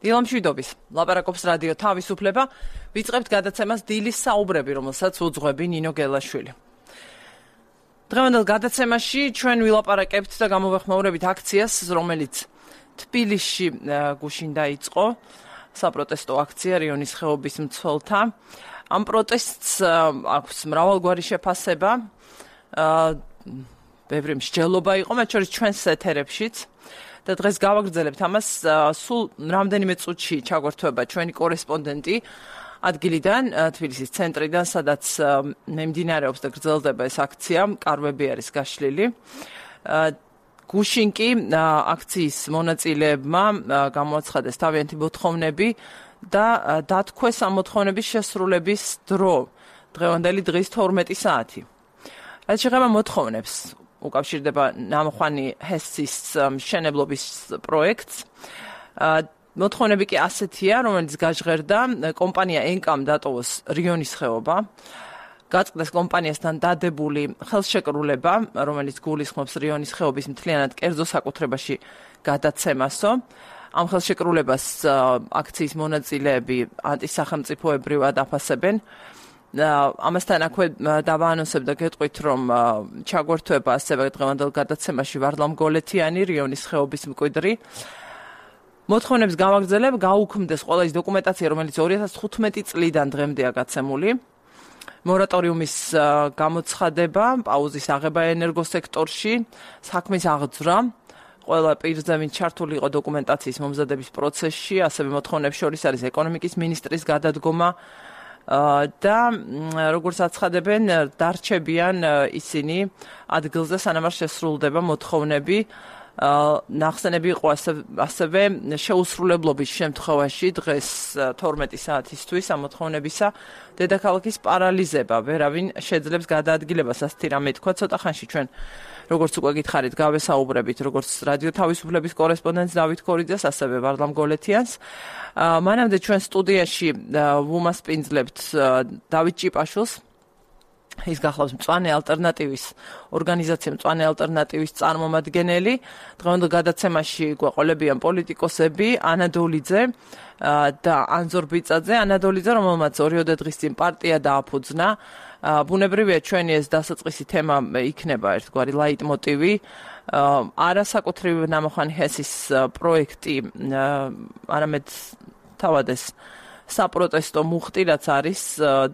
დილამშვიდობის. ლაპარაკობს რადიო თავისუფლება. ვიწყებთ გადაცემას დილის საუბრები, რომელსაც უძღვები ნინო გელაშვილი. დღევანდელ გადაცემაში ჩვენ ვილაპარაკებთ და გამოვეხმაურებით აქციას, რომელიც თბილისში გუშინ დაიწყო, საპროტესტო აქცია რიონის ხეობის მცველთა. ამ პროტესტს აქვს მრავალგვარი შეფასება. ბევრი მსჯელობა იყო, მათ შორის ჩვენს ეთერებშიც. და დღეს გავაგრძელებთ ამას. სულ რამდენიმე წუთში ჩაგვერთვება ჩვენი კორესპონდენტი ადგილიდან, თბილისის ცენტრიდან, სადაც მიმდინარეობს და გრძელდება ეს აქცია, კარვები არის გაშლილი. გუშინ კი აქციის მონაწილეებმა გამოაცხადეს თავიანთი მოთხოვნები და დათქვეს ამ მოთხოვნების შესრულების დრო, დღევანდელი დღის 12 საათი. რაც შეეხება მოთხოვნებს, უკავშირდება ნამოხვანი ჰესის მშენებლობის პროექტს. მოთხოვნები კი ასეთია, რომელიც გაჟღერდა კომპანია ენკამ დატოვოს რიონის ხეობა, გაწყდეს კომპანიასთან დადებული ხელშეკრულება, რომელიც გულისხმობს რიონის ხეობის მთლიანად კერძო საკუთრებაში გადაცემასო. ამ ხელშეკრულებას აქციის მონაწილეები ანტისახელმწიფოებრივად აფასებენ. ამასთან აქვე დავაანონსებ და გეტყვით, რომ ჩაგვერთვება ასევე დღევანდელ გადაცემაში ვარლამ გოლეთიანი, რიონის ხეობის მკვიდრი. მოთხოვნებს გავაგრძელებ, გაუქმდეს ყველა ის დოკუმენტაცია, რომელიც 2015 წლიდან დღემდეა გაცემული. მორატორიუმის გამოცხადება, პაუზის აღება ენერგოსექტორში, საქმის აღძვრა, ყველა პირზე, ვინც ჩართული იყო დოკუმენტაციის მომზადების პროცესში, ასევე მოთხოვნებს შორის არის ეკონომიკის მინისტრის გადადგომა და როგორც აცხადებენ, დარჩებიან ისინი ადგილზე, სანამ არ შესრულდება მოთხოვნები. ნახსენები იყო ასევე შეუსრულებლობის შემთხვევაში დღეს 12 საათისთვის ამ მოთხოვნებისა დედაქალაქის პარალიზება. ვერავინ შეძლებს გადაადგილებას, ასეთი რამე თქვა. ცოტა ხანში ჩვენ, როგორც უკვე გითხარით, გავესაუბრებით როგორც რადიო თავისუფლების კორესპონდენტს დავით ქორიძეს, ასევე ვარლამ გოლეთიანს. მანამდე ჩვენ სტუდიაში ვუმასპინძლებთ დავით ჭიპაშვილს. ის გახლავს მწვანე ალტერნატივის ორგანიზაცია მწვანე ალტერნატივის წარმომადგენელი. დღევანდელ გადაცემაში გვეყოლებიან პოლიტიკოსები ანა დოლიძე და ანზორ ბიწაძე. ანა დოლიძე, რომელმაც 2 დღის წინ პარტია დააფუძნა. ბუნებრივია, ჩვენი ეს დასაწყისი თემა იქნება ერთგვარი ლაიტმოტივი. არასაკუთრივ ნამოხვანი ჰესის პროექტი, არამედ თავად ეს საპროტესტო მუხტი, რაც არის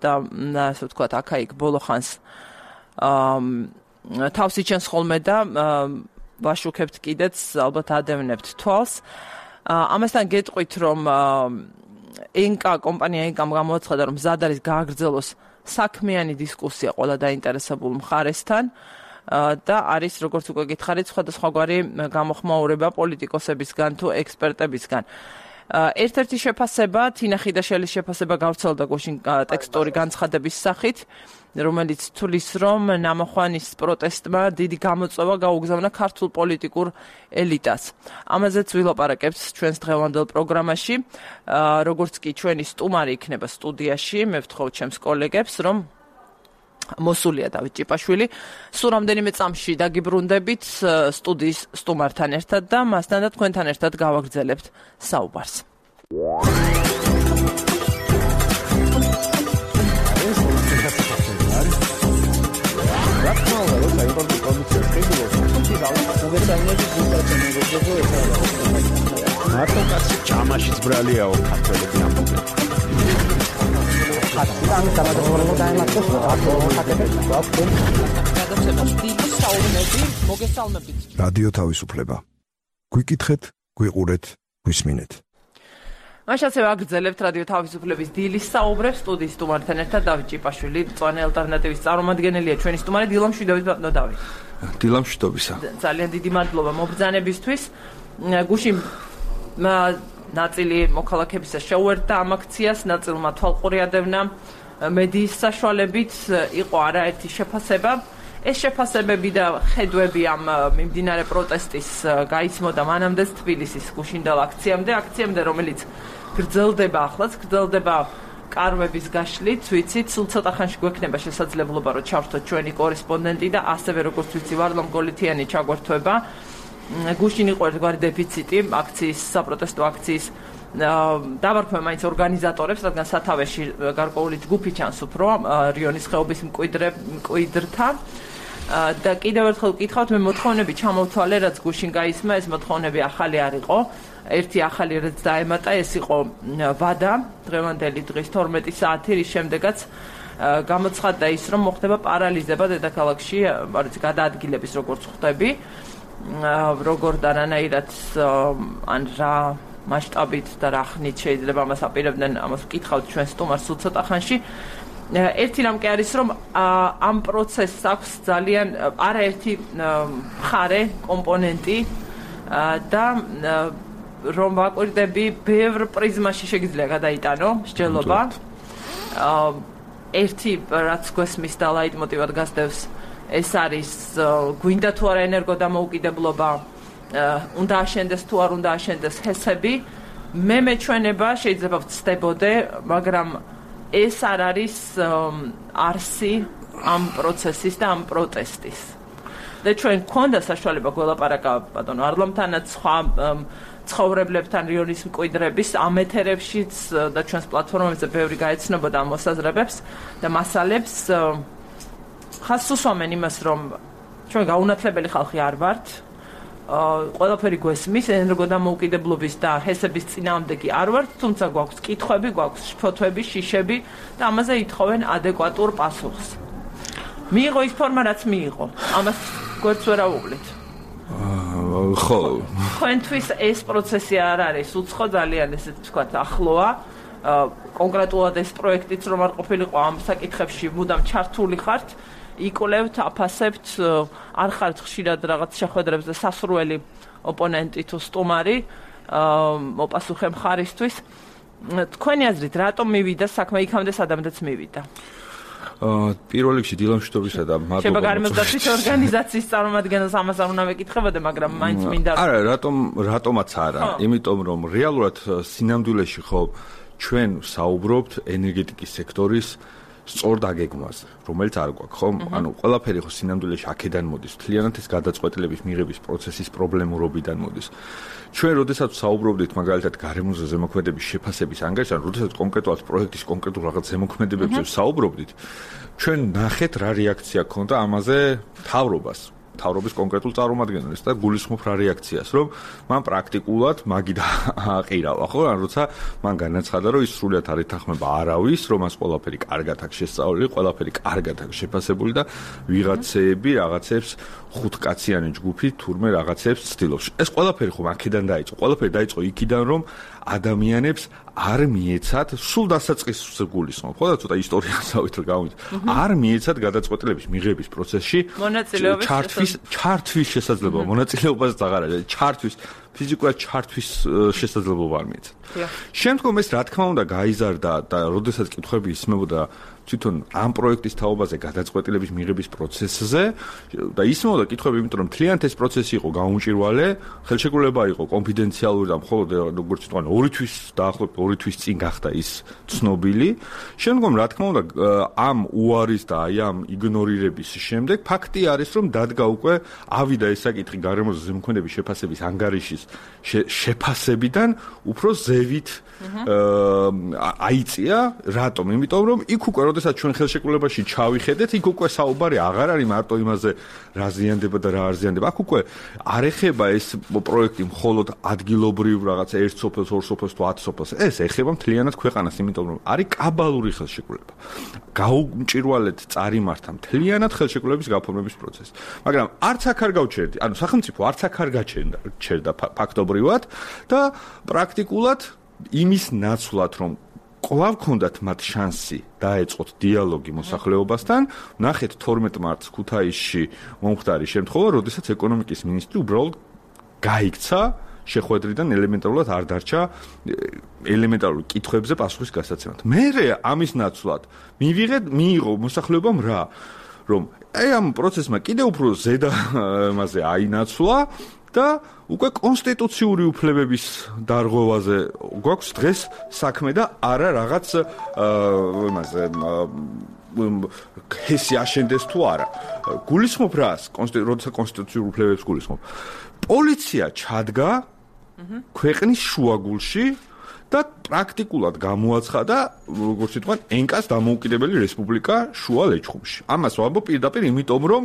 და ასე ვთქვათ, აქა-იქ ბოლოხანს თავს იჩენს ხოლმე და ვაშუქებთ კიდეც, ალბათ ადევნებთ თვალს. ამასთან გეტყვით, რომ კომპანია ენკამ გამოაცხადა, რომ მზად არის გააგრძელოს საქმიანი დისკუსია ყველა დაინტერესებულ მხარესთან და არის, როგორც უკვე გითხარით, სხვადასხვაგვარი გამოხმაურება პოლიტიკოსებისგან თუ ექსპერტებისგან. ერთ-ერთი შეფასება, თინა ხიდაშელის შეფასება გავრცელდა გუშინ ტექსტური განცხადების სახით, რომელიც თulis, რომ ნამოხვანის პროტესტმა დიდი გამოწვევა გაუგზავნა ქართულ პოლიტიკურ ელიტას. ამაზეც ვილაპარაკებთ ჩვენს დღევანდელ პროგრამაში, როგორც კი ჩვენი სტუმარი იქნება სტუდიაში, მე ვთხოვთ ჩემს კოლეგებს, რომ მოსულია დავით ჭიპაშვილი. სულ რამდენიმე წამში დაგიბრუნდებით სტუდიის სტუმართან ერთად და მასთან და თქვენთან ერთად გავაგრძელებთ საუბარს. მარტო კაცი ჭამაშიც ბრალიაო ქართველები ამბობენ. რადიო თავისუფლება. გვიკითხეთ, გვიყურეთ, გვისმინეთ. მაშასე ვაგრძელებთ რადიო თავისუფლების დილის საუბრებს სტუდიის სტუმართან ერთად დავით ჭიპაშვილი, მწვანე ალტერნატივის წარმომადგენელია ჩვენი სტუმარი. დილამშვიდობით ბატონო დავით. დილამშვიდობისა. ძალიან დიდი მადლობა მობრძანებისთვის. გუშინ ნაწილი მოქალაქეებისა შეუერთდა ამ აქციას, ნაწილმა თვალყური ადევნა მედიის საშუალებით, იყო არაერთი შეფასება. ეს შეფასებები და ხედვები ამ მიმდინარე პროტესტის გაიცმოდა მანამდეც თბილისის გუშინდელ აქციამდე, რომელიც გრძელდება ახლაც, გრძელდება კარვების გაშლით, ვიცით, სულ ცოტა ხანში გვექნება შესაძლებლობა, რომ ჩავრთოთ ჩვენი კორესპონდენტი და ასევე როგორც ვიცი, ვარლამ გოლეთიანი ჩაგვერთვება. გუშინ იყო ერთგვარი დეფიციტი აქციის, საპროტესტო აქციის დავარქვე მაინც ორგანიზატორებს, რადგან სათავეში გარკვეული ჯგუფი ჩანს უფრო რიონის ხეობის მკვიდრთა და კიდევ ერთხელ ვკითხავთ, მე მოთხოვნები ჩამოვთვალე, რაც გუშინ გაისმა, ეს მოთხოვნები ახალი არ იყო. ერთი ახალი რაც დაემატა, ეს იყო ვადა, დღევანდელი დღის 12 საათი, რის შემდეგაც გამოცხადდა ის, რომ მოხდება პარალიზება დედაქალაქში, გადაადგილების როგორც ხვდები, როგორ და რანაირად ან რა მასშტაბით და რა ხნით შეიძლება ამას აპირებდნენ, ამას ვკითხავთ ჩვენ სტუმარს ცოტა ხანში. ერთი რამ კი არის, რომ ამ პროცესს აქვს ძალიან არაერთი მხარე, კომპონენტი და რომ ვაკვირდები, ბევრ პრიზმაში შეგიძლია გადაიტანო მსჯელობა. ერთი რაც გვესმის და ლაიტმოტივად გასდევს, ეს არის გვინდა თუ არა ენერგოდამოუკიდებლობა, უნდა აშენდეს თუ არ უნდა აშენდეს ჰესები. მე მეჩვენება შეიძლება ვცდებოდე, მაგრამ ეს არ არის არსი ამ პროცესის და ამ პროტესტის. და ჩვენ გვქონდა საშუალება გველაპარაკა ბატონო არლომთანაც, სხვა ცხოვრებლებთან რიონის მკვიდრების ამ ეთერებშიც და ჩვენს პლატფორმებზე ბევრი გაეცნობოდა ამ მოსაზრებებს და მასალებს. ხას უსვამენ იმას, რომ ჩვენ გაუნათლებელი ხალხი არ ვართ. ყველაფერი გვესმის, ენერგოდამოუკიდებლობის და ჰესების წინააღმდეგი არ ვართ, თუმცა გვაქვს კითხვები, გვაქვს ფოთვები, შიშები და ამაზე ითხოვენ ადეკვატურ პასუხს. მიიღო ის ფორმა, რაც მიიღო. ამას გვერდს ვერ აუღლით. ხო. თქვენთვის ეს პროცესი არ არის უცხო, ძალიან ესე ვთქვათ, ახლოა. კონკრეტულად ეს პროექტიც რომ არ ყოფილიყო ამ საკითხებში, მუდამ ჩართული ხართ. იკვლევთ, აფასებთ, არ ხართ ხშირად რაღაც შეხვედრებზე სასურველი ოპონენტი თუ სტუმარი, მოპასუხე მხარისთვის. თქვენი აზრით, რატომ მივიდა საქმე იქამდე, სადამდეც მივიდა? პირველ რიგში დილამშვიდობისა და მადლობა. შეიძლება გარემოსდაცვის ორგანიზაციის წარმომადგენელს ამას არ უნდა მეკითხებოდე, მაგრამ მაინც მინდა. არა, რატომაც არა, იმიტომ რომ რეალურად სინამდვილეში ხო ჩვენ საუბრობთ ენერგეტიკის სექტორის სწორ დაგეგმვაზე, რომელიც არ გვაქვს, ხო? ანუ ყველაფერი ხო სინამდვილეში აქედან მოდის, მთლიანად ეს გადაწყვეტილების მიღების პროცესის პრობლემურობიდან მოდის. ჩვენ როდესაც საუბრობდით მაგალითად გარემოზე ზემოქმედების შეფასების ანგარიშზე, ან როდესაც კონკრეტულად პროექტის კონკრეტულ რაღაც ზემოქმედებებზე საუბრობდით, ჩვენ ნახეთ რა რეაქცია ჰქონდა ამაზე მთავრობის კონკრეტულ წარმომადგენელს და გულისხმობ რა რეაქციას, რომ მან პრაქტიკულად მაგიდა აყირავა, ხო? ან როცა მან განაცხადა, რომ ის სრულად არ ეთანხმება არავის, რომ მას ყველაფერი კარგად აქვს შესწავლილი, ყველაფერი კარგად აქვს შეფასებული და ვიღაცეები რაღაცებს ხუთკაციანი ჯგუფი თურმე რაღაცებს ცდილობს. ეს ყველაფერი ხომ აქედან დაიწყო. ყველაფერი დაიწყო იქიდან, რომ ადამიანებს არ მიეცათ სულ დასაწყისს გულისხმობ, ხო და ცოტა ისტორიასავით გავით. არ მიეცათ გადაწყვეტილების მიღების პროცესში ჩართვის შესაძლებლობა, მონაწილეობას აღარ არის, ფიზიკურად ჩართვის შესაძლებლობა არ მიეცათ. შემდგომ ეს რა თქმა უნდა გაიზარდა და როდესაც კითხვები ისმებოდა თვითონ ამ პროექტის თაობაზე გადაწყვეტილების მიღების პროცესზე და ისმოდა კითხვები, იმიტომ რომ მთლიანად ეს პროცესი იყო გაუმჭირვალე, ხელშეკრულება იყო კონფიდენციალური და მხოლოდ როგორც თქვენ 2 თვის დაახლოებით 2 თვის წინ გახდა ის ცნობილი. შემდგომ რა თქმა უნდა ამ უარის და აი ამ იგნორირების შემდეგ ფაქტი არის, რომ დადგა უკვე ავიდა ეს საკითხი გარემოზე ზემოქმედების შეფასების ანგარიშის შეფასებიდან უფრო ზევით აიწია. რატომ? იმიტომ რომ იქ უკვე როდესაც ჩვენ ხელშეკრულებაში ჩავიხედეთ, იქ უკვე საუბარი აღარ არის მარტო იმაზე რა ზიანდება და რა არ ზიანდება. აქ უკვე არ ეხება ეს პროექტი მხოლოდ ადგილობრივ რაღაც 1 სოფელს, 2 სოფელს თუ 10 სოფელს. ეს ეხება მთლიანად ქვეყანას, იმიტომ რომ არის კაბალური ხელშეკრულება. გაუმჭირვალედ წარიმართა მთლიანად ხელშეკრულების გაფორმების პროცესი. მაგრამ არც აქ არ გავჩერდი, ანუ სახელმწიფო არც აქ არ გაჩერდა ფაქტობრივად და პრაქტიკულად იმის ნაცვლად, რომ კვლავ ქონდათ მათ შანსი დაეწყოთ დიალოგი მოსახლეობასთან, ნახეთ 12 მარტს ქუთაისში მომხდარი შემთხვევა, როდესაც ეკონომიკის მინისტრი უბრალოდ გაიქცა შეხვედრიდან ელემენტარულად არ დარჩა ელემენტარულ კითხვებზე პასუხის გასაცემად. მერე ამის ნაცვლად მიიღო მოსახლეობამ რა, რომ ამ პროცესმა კიდევ უფრო ზედა მასე აინაცვლა და უკვე კონსტიტუციური უფლებების დარღვევაზე გვაქვს დღეს საქმე და არა რაღაც იმაზე ჰესი აშენდეს თუ არა. გულისხმობ რას? როცა კონსტიტუციური უფლებებს გულისხმობ. პოლიცია ჩადგა ქვეყნის შუაგულში და პრაქტიკულად გამოაცხადა, როგორც ვთქვათ, ენკას დამოუკიდებელი რესპუბლიკა შუა ლეჩხუმში. ამას ვამბობ პირდაპირ, იმიტომ რომ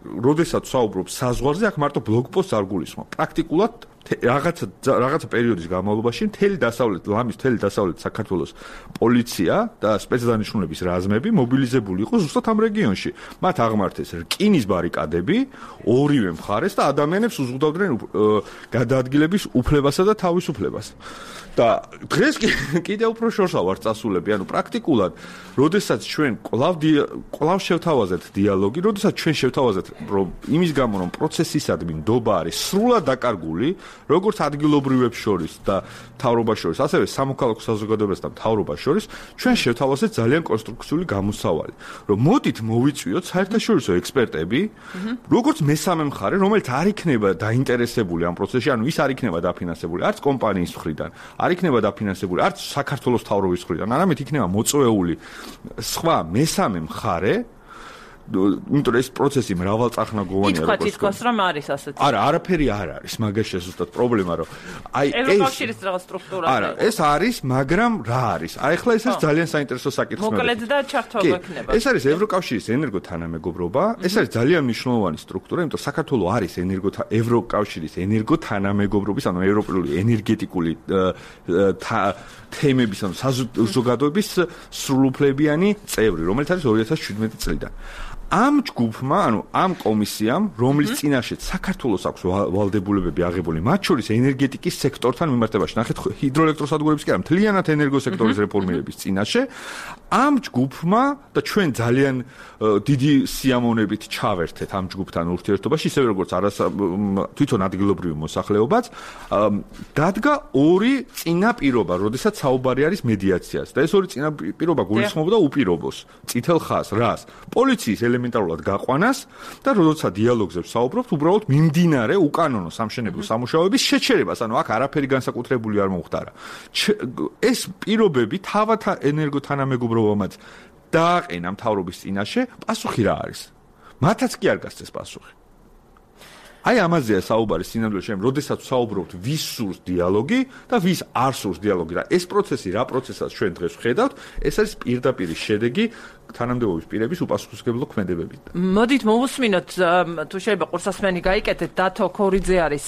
როდესაც საუბრობ საზღვარზე, აქ მარტო ბლოკპოსტს არ გულისხმობ. პრაქტიკულად რაღაცა პერიოდის განმავლობაში მთელი დასავლეთ საქართველოს პოლიცია და სპეცდანიშნულების რაზმები მობილიზებული იყო ზუსტად ამ რეგიონში. მათ აღმართეს რკინის ბარიკადები ორივე მხარეს და ადამიანებს უზღუდავდნენ გადაადგილების უფლებასა და თავისუფლებას. და დღეს კიდევ უფრო შორსა ვარ წასულები, ანუ პრაქტიკულად, როდესაც ჩვენ კვლავ შევთავაზეთ დიალოგი, როდესაც ჩვენ შევთავაზეთ, რომ იმის გამო რომ პროცესისადმი ნდობა არის სრულად დაკარგული, როგორც ადგილობრივებს შორის და მთავრობას შორის, ასევე სამოქალაქო საზოგადოებას და მთავრობას შორის, ჩვენ შევთავაზეთ ძალიან კონსტრუქციული გამოსავალი, რომ მოდით მოვიწვიოთ საერთაშორისო ექსპერტები, როგორც მესამე მხარე, რომელიც არ იქნება დაინტერესებული ამ პროცესში, ანუ ის არ იქნება დაფინანსებული არც კომპანიის მხრიდან, არ იქნება დაფინანსებული არც საქართველოს მთავრობის მხრიდან, არამედ იქნება მოწვეული სხვა მესამე მხარე, იმიტომ რომ ეს პროცესი მრავალწახნაგოვანია. ითქვას რომ არის ასეთი. არა, არაფერი არ არის, მაგაში ზუსტად პრობლემა, რომ აი ეს ევროკავშირის რაღაც სტრუქტურა. არა, ეს არის, მაგრამ რა არის? აი ახლა ეს არის ძალიან საინტერესო საკითხი. მოკლედ და ჩართობა ექნება. ეს არის ევროკავშირის ენერგოთანამეგობრობა, ეს არის ძალიან მნიშვნელოვანი სტრუქტურა, იმიტომ რომ საქართველო არის ევროკავშირის ენერგოთანამეგობრობის, ანუ ევროპული ენერგეტიკული თემების, ანუ საზოგადოების სრულუფლებიანი წევრი, რომელიც არის 2017 წლიდან. ამ ჯგუფმა, ანუ ამ კომისიამ, რომლის წინაშეც საქართველოს აქვს ვალდებულებები აღებული, მათ შორის ენერგეტიკის სექტორთან მიმართებაში, ნახეთ ჰიდროელექტროსადგურების კი არა, მთლიანად ენერგოსექტორის რეფორმირების წინაშე, ამ ჯგუფმა და ჩვენ ძალიან დიდი სიამოვნებით ჩავერთეთ ამ ჯგუფთან ურთიერთობაში, ისევე როგორც თვითონ ადგილობრივი მოსახლეობაც, დადგა ორი წინაპირობა, როდესაც საუბარი არის მედიაციას. და ეს ორი წინაპირობა გულისხმობდა უპირობოს, წითელ ხაზს, რას? პოლიციის ელემენტარულად გაყვანას და როდესაც დიალოგზე ვსაუბრობთ, უბრალოდ მიმდინარე უკანონო სამშენებლო სამუშაოების შეჩერებას, ანუ აქ არაფერი განსაკუთრებული არ მომხდარა. ეს პირობები თავად ენერგოთანამეგობრობამაც დააყენა მთავრობის წინაშე, პასუხი რა არის? მათაც კი არ გასცეს პასუხი. აი ამაზეა საუბარი სინამდვილეში, როდესაც ვსაუბრობთ ვის სურს დიალოგი და ვის არ სურს დიალოგი. რა ეს პროცესი, რა პროცესას ჩვენ დღეს ვხედავთ, ეს არის პირდაპირ შედეგი თანამდებობის პირების უპასუხისმგებლო ქმედებებით. მოდით მოვუსმინოთ, თუ შეიძლება ყურსასმენი გაიკეთეთ, დათო ქორიძე არის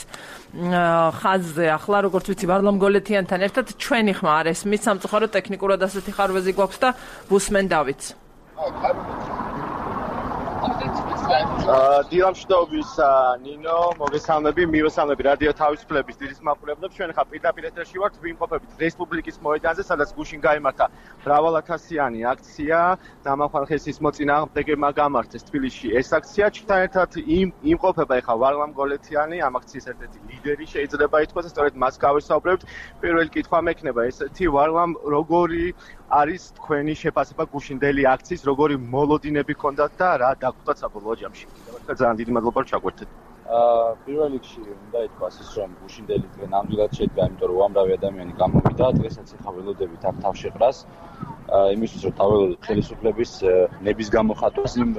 ხაზზე ახლა, როგორც ვიცი, ვარლამ გოლეთიანთან ერთად ჩვენი ხმა არ ესმის, სამწუხაროდ ტექნიკურად ასეთი ხარვეზი გვაქვს და ვუსმენდავით. დილამშვიდობის ნინო, მოგესალმები, მივესალმები რადიო თავისუფლების დიდი მაყურებლებს. ჩვენ ხა პირდაპირ ეთერში ვართ, ვიმყოფებით რესპუბლიკის მოედანზე, სადაც გუშინ გაიმართა მრავალათასიანი აქცია. ნამახვალხესის მოწინააღმდეგეებმა გამართეს თბილისში ეს აქცია. ჩვენთან ერთად იმყოფება ხა ვარლამ გოლეთიანი, ამ აქციის ერთ-ერთი ლიდერი შეიძლება ითქვას, სწორედ მას გავესაუბრებთ. პირველი კითხვა მექნება ესეთი, ვარლამ, როგორი არის თქვენი შეფასება გუშინდელი აქციის, როგორი მოლოდინები ჰქონდათ და რა დაგვიტყვა საბოლოო ჯამში. ძალიან დიდი მადლობა რომ ჩაგვერთეთ. პირველ რიგში უნდა ითქვას ის, რომ გუშინდელი დღე ნამდვილად შედგა, იმიტომ რომ უამრავი ადამიანი გამოვიდა, დღესაც ახლა ველოდებით აქ თავშეყრას. იმისთვის რომ თავველოდოთ ხელისუფლების ნების გამოხატვას იმ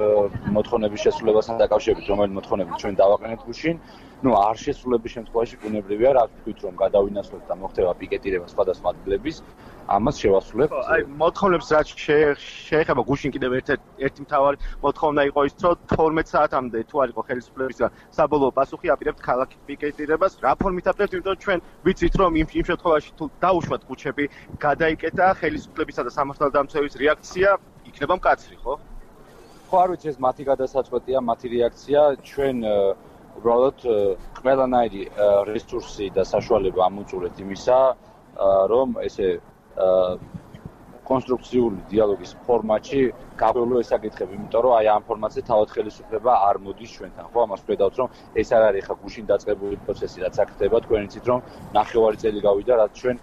მოთხოვნების შესრულებასთან დაკავშირებით, რომელიც მოთხოვნები ჩვენ დავაყენეთ გუშინ. არ შესრულების შემთხვევაში ბუნებრივია, რა ვთქვით, რომ გადავინაცვლოთ და მოხდება პიკეტირება სხვადასხვა ადგილების, ამას შევასრულებთ. აი, მოთხოვნებს რაც შეეხება გუშინ კიდევ ერთი მთავარი მოთხოვნა იყო ის, რომ 12 საათამდე თუ არ იყო ხელისუფლებისგან საბოლოო პასუხი, აპირებთ ქალაქის პიკეტირებას. რა ფორმით აპირებთ, იმიტომ რომ ჩვენ ვიცით, რომ იმ შემთხვევაში თუ დაუშვათ კუჩები, გადაიკეთა ხელისუფლებისა და სამართალდამცველის რეაქცია იქნება მკაცრი, ხო? ხო, არ ვიცი, ეს მათი გადასაწყვეტია, მათი რეაქცია. ჩვენ უბრალოდ ყველანაირი რესურსი და საშუალება ამოწურეთ იმისა, რომ ესე კონსტრუქციული დიალოგის ფორმატში გავევლო ეს საკითხები, იმიტომ რომ აი ამ ფორმატზე თავად ხელისუფლება არ მოდის ჩვენთან. ხო, ამას ვხედავთ, რომ ეს არ არის ხა გუშინ დაწყებული პროცესი, რაც აქ ხდება, თქვენ იცით, რომ 9 წელი გავიდა, რაც ჩვენ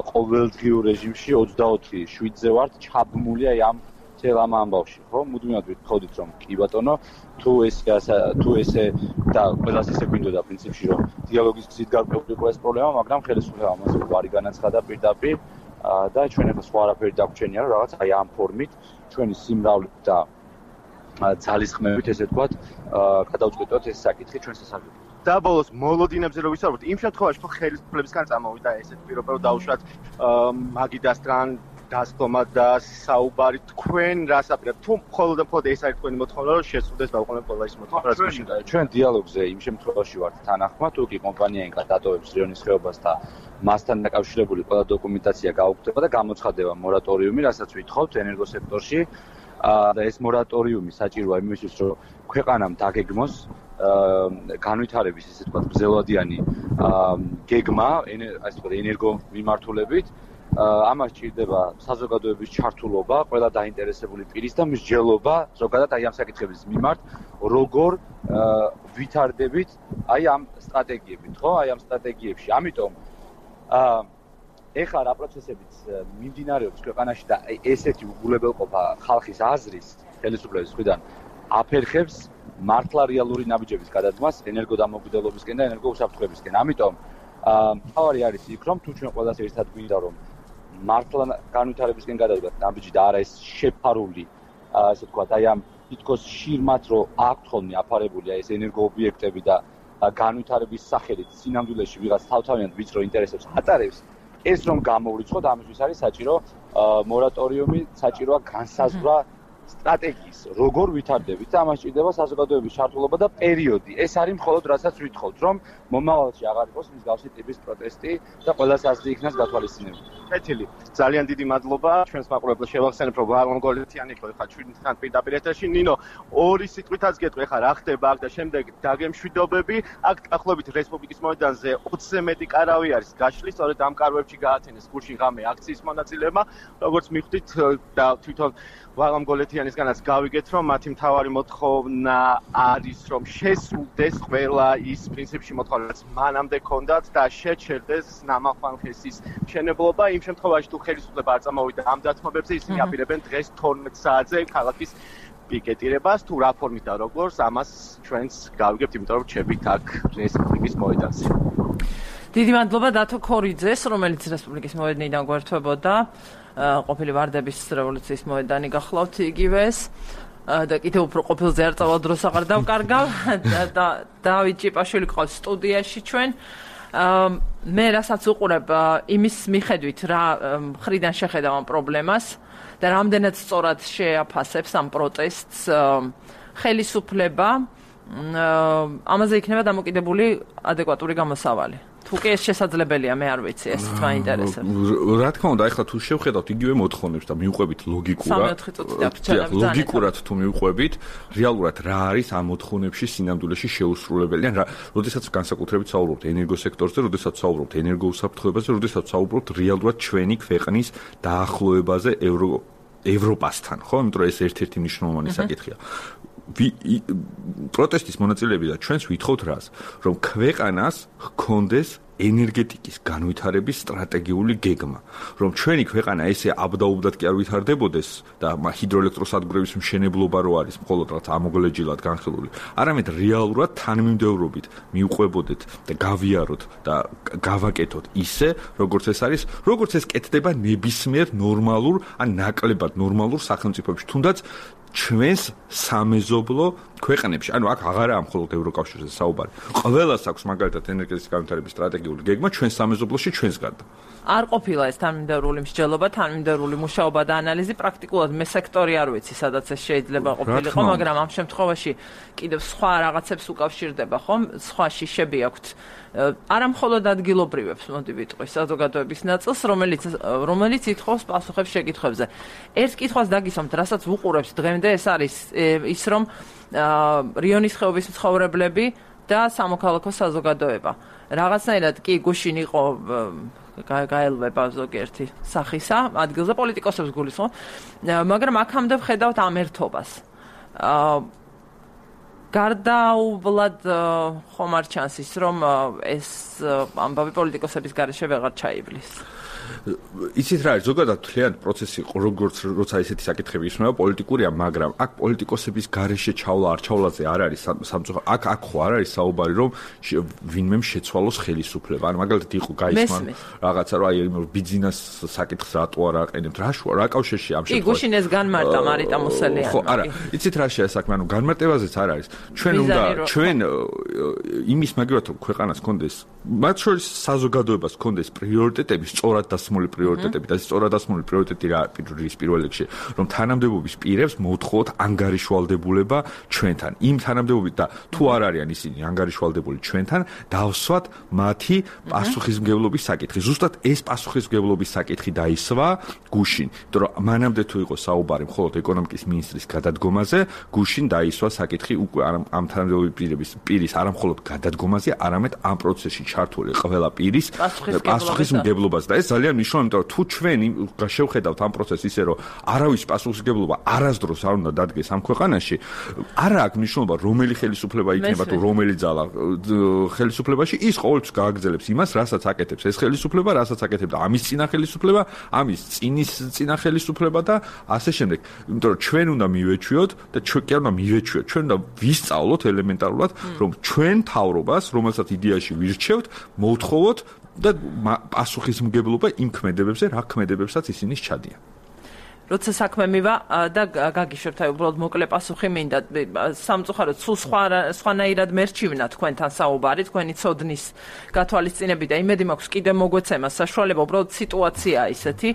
ყოველდღიურ რეჟიმში 24/7-ზე ვართ ჩაბმული აი ამ წელ ამ ამბავში, ხო? მუდმივად ვთხოვდით, რომ კი ბატონო, თუ ესე და ყველას ისე გვინდოდა პრინციპში, რომ დიალოგის გზით გარკვეულიყო ეს პრობლემა, მაგრამ ხელისუფლება ამას უარი განაცხადა პირდაპირ და ჩვენ ახლა სხვა არაფერი დაგვჩენია, რომ რაღაც აი ამ ფორმით ჩვენი სიმრავლით და ძალისხმევით, ესე ვთქვათ, გადავწყვეტოთ ეს საკითხი ჩვენ სასარგებლოდ. და ბოლოს მოლოდინებზე რო ვისაუბროთ, იმ შემთხვევაში თუ ხელისუფლებისგან წამოვიდა ესეთი პირობა, რომ დაუშვათ მაგიდასთან დასწომა და საუბარი, თქვენ რას აპირებთ? თუ მხოლოდ ეს არის თქვენი მოთხოვნა, რომ შესრულდეს დაუყოვნებლივ ყველა ის მოთხოვნა, ჩვენ დიალოგზე იმ შემთხვევაში ვართ თანახმად, თუ კი კომპანია ინკა დატოვებს რიონის ხეობას და მასთან დაკავშირებული ყველა დოკუმენტაცია გაუქმდება და გამოცხადება მორატორიუმი, რასაც ვითხოვთ ენერგოსექტორში და ეს მორატორიუმი საჭიროა იმისთვის, რომ ქვეყანამ დაგეგმოს განვითარების ესე თქვა გრძელვადიანი გეგმა, ასე თქვა ენერგო მიმართულებით. ამას ჭირდება საზოგადოების ჩართულობა, ყველა დაინტერესებული პირის და მსჯელობა ზოგადად აი ამ საკითხების მიმართ, როგორ ვითარდებით აი ამ სტრატეგიებით, ხო? აი ამ სტრატეგიებში. ამიტომ ეხლა რა პროცესებიც მიმდინარეობს ქვეყანაში და ესეთი უგულებელყოფა ხალხის აზრის ხელისუფლების მხრიდან აფერხებს მართლა რეალური ნაბიჯების გადადგმას ენერგოდამოუკიდებლობისკენ და ენერგოუსაფრთხოებისკენ. ამიტომ მთავარი არის იქ, რომ თუ ჩვენ ყველას ერთად გვინდა, რომ მართლა განვითარებისკენ გადადგათ ნაბიჯი და არა ეს შეფარული, ასე ვთქვათ, აი ამ თითქოს შირმად რო აქვთ ხოლმე აფარებული აი ეს ენერგოობიექტები და განვითარების სახელით სინამდვილეში ვიღაც თავთავიანად ვიწრო ინტერესებს ატარებს, ეს რომ გამოვრიცხოთ, ამისთვის არის საჭირო მორატორიუმი, საჭიროა განსაზღვრა სტრატეგიის, როგორ ვითარდებით და ამას ჭირდება საზოგადოების ჩართულობა და პერიოდი. ეს არის მხოლოდ რასაც ვითხოვთ, რომ მომავალში აღარ იყოს მსგავსი ტიპის პროტესტი და ყველას აზრი იქნას გათვალისწინებული. კეთილი. ძალიან დიდი მადლობა. ჩვენს მაყურებლებს შევახსენებ, რომ ვარონგოლეთიანი იყო ხა ჩვენთან პირდაპირ ეთერში. ნინო, ორი სიტყვითაც გეტყვი ხა რა ხდება აქ და შემდეგ დაგემშვიდობები. აქ ახლობით რესპუბლიკის მოედანზე 20-ზე მეტი კარავი არის გაშლი, სწორედ ამ კარვებში გაათენეს გუშინ ღამე აქციის მონაწილეებმა. როგორც მიხვდით და თვითონ ვარონგოლეთიანისგანაც გავიგეთ, რომ მათი მთავარი მოთხოვნა არის, რომ შესრულდეს ყველა ის პრინციპში მოთხოვნა, რაც მანამდე ჰქონდათ და შეჩერდეს ნამახვანხესის მშენებლობა. იმ შემთხვევაში თუ ხელისუფლება არ წამოვიდა ამ დათმობებზე, ისინი აპირებენ დღეს 12 საათზე ქალაქის პიკეტირებას, თუ რა ფორმით და როგორც, ამას ჩვენც გავიგებთ, იმიტომ რომ ჩებით აქ რესპუბლიკის მოედანზე. დიდი მადლობა დათო ქორიძეს, რომელიც რესპუბლიკის მოედნიდან გვერდებოდა. ყოფილი ვარდების რევოლუციის მოედანი გახლავთ იგივეს და კიდევ უფრო ყოფილზე არ წავალ დროს აღარ დავკარგავ და დავით ჭიპაშვილი ყავს სტუდიაში ჩვენ. მე რასაც უყურებ იმის მიხედვით რა მხრიდან შეხედავ ამ პრობლემას და რამდენად სწორად შეაფასებს ამ პროტესტს ხელისუფლება, ამაზე იქნება დამოკიდებული ადეკვატური გამოსავალი. თუ კი ეს შესაძლებელია, მე არ ვიცი, ეს მაინტერესებს. რა თქმა უნდა, ახლა თუ შევხედავთ იგივე მოთხოვნებს და მივყვებით ლოგიკურად თუ მივყვებით, რეალურად რა არის ამ მოთხოვნებში სინამდვილეში შეუსრულებელი, ან რა, როდესაც განსაკუთრებით საუბრობთ ენერგოსექტორზე, როდესაც საუბრობთ ენერგოუსაფრთხოებაზე, როდესაც საუბრობთ რეალურად ჩვენი ქვეყნის დაახლოებაზე ევროპასთან, ხო? იმიტომ რომ ეს ერთ-ერთი მნიშვნელოვანი საკითხია. პროტესტის მონაწილეები და ჩვენს ვითხოვთ რას, რომ ქვეყანას ჰქონდეს ენერგეტიკის განვითარების სტრატეგიული გეგმა, რომ ჩვენი ქვეყანა ესე აბდაუბდად კი არ ვითარდებოდეს და ჰიდროელექტროსადგურების მშენებლობა რო არის მხოლოდ რაც ამოგლეჯილად განხილული, არამედ რეალურად თანმიმდევრობით მივყვებოდეთ და გავიაროთ და გავაკეთოთ ისე, როგორც ეს არის, როგორც ეს კეთდება ნებისმიერ ნორმალურ ან ნაკლებად ნორმალურ სახელმწიფოებში, თუნდაც ჩვენს სამეზობლო ქვეყნებში, ანუ აქ აღარაა მხოლოდ ევროკავშირზე საუბარი. ყველას აქვს მაგალითად ენერგეტიკის განვითარების სტრატეგიული გეგმა ჩვენს სამეზობლოში ჩვენს გარდა. არ ყოფილა ეს თანმიმდევრული მსჯელობა, თანმიმდევრული მუშაობა და ანალიზი, პრაქტიკულად მე სექტორი არ ვიცი, სადაც ეს შეიძლება ყოფილიყო, მაგრამ ამ შემთხვევაში კიდევ სხვა რაღაცებს უკავშირდება, ხომ? სხვა შიშები აქვთ. არა მხოლოდ ადგილობრივებს, მოდი ვიტყვი, საზოგადოების ნაწილს, რომელიც ითხოვს პასუხებს შეკითხვებზე. ერთ კითხვას დაგისვამთ, რასაც უყურებს დღემდე, ეს არის ის, რომ რიონის ხეობის მცხოვრებლები და სამოქალაქო საზოგადოება. რაღაცნაირად კი გუშინ იყო გაელვება ზოგიერთი სახისა ადგილზე პოლიტიკოსებს გულისხმობ, მაგრამ აქამდე ვხედავთ ამ ერთობას. გარდაუვლად ხომ არ ჩანს ის, რომ ეს ამბავი პოლიტიკოსების გარეშე ვეღარ ჩაივლის. იცით რა არის, ზოგადად თლიანი პროცესი, როგორც როცა ესეთი საკითხები ისმევა პოლიტიკურია, მაგრამ აქ პოლიტიკოსების გარეშე ჩავლა არ ჩავლაზე არ არის სამწუხაროდ. აქ ხო არ არის საუბარი, რომ ვინმემ შეცვალოს ხელისუფლება. ან მაგალითად იყო გაისმან რაღაცა, რომ აი ბიძინას საკითხს რატო არ აყენებთ, რა კავშირში ამ შემთხვევაში. კი, გუშინ ეს განმარტა მარიტა მოსელიანი. ხო, არა, იცით რა შეა საქმე, ანუ განმარტებაზეც არ არის. ჩვენ იმის მაგივრად რომ ქვეყანას კონდეს მათ შორის საზოგადოებას კონდეს პრიორიტეტები, სწორად დასმული პრიორიტეტები და სწორად დასმული პრიორიტეტი რა არის პირველ რიგში, რომ თანამდებობის პირებს მოთხოვოთ ანგარიშვალდებულება ჩვენთან. იმ თანამდებობით და თუ არ არიან ისინი ანგარიშვალდებული ჩვენთან, დავსვათ მათი პასუხისმგებლობის საკითხი. ზუსტად ეს პასუხისმგებლობის საკითხი დაისვა გუშინ, იმიტომ რომ მანამდე თუ იყო საუბარი მხოლოდ ეკონომიკის მინისტრის გადადგომაზე, გუშინ დაისვა საკითხი უკვე ამ თანამდებობის პირის არა მხოლოდ გადადგომაზე, არამედ ამ პროცესში ჩართული ყველა პირის პასუხისმგებლობას და ეს ძალიან მნიშვნელოვანია, იმიტომ რომ თუ ჩვენ შევხედავთ ამ პროცესს ისე რომ არავის პასუხისმგებლობა არასდროს არ უნდა დადგეს ამ ქვეყანაში, არა აქვს მნიშვნელობა რომელი ხელისუფლება იქნება თუ რომელი ძალა ხელისუფლებაში, ის ყოველთვის გააგრძელებს იმას, რასაც აკეთებს ეს ხელისუფლება, რასაც აკეთებდა ამის წინა ხელისუფლება, ამის წინა ხელისუფლება და ასე შემდეგ. იმიტომ რომ ჩვენ უნდა მივეჩვიოთ და ჩვენ კი უნდა მივეჩვიოთ, ჩვენ უნდა ვისწავლოთ ელემენტარულად, რომ ჩვენ თავრობას, რომელსაც იდეაში ვირჩევთ, მოვთხოვოთ და პასუხისმგებლობა იმ ქმედებებზე, რა ქმედებებსაც ისინი სჩადიან. როცა საქმე მივა და გაგიშვებთ, აი უბრალოდ მოკლე პასუხი მინდა. სამწუხაროდ სულ სხვანაირად მერჩივნა თქვენთან საუბარი, თქვენი ცოდნის გათვალისწინები და იმედი მაქვს კიდევ მოგვეცემა საშუალება, უბრალოდ სიტუაციაა ისეთი.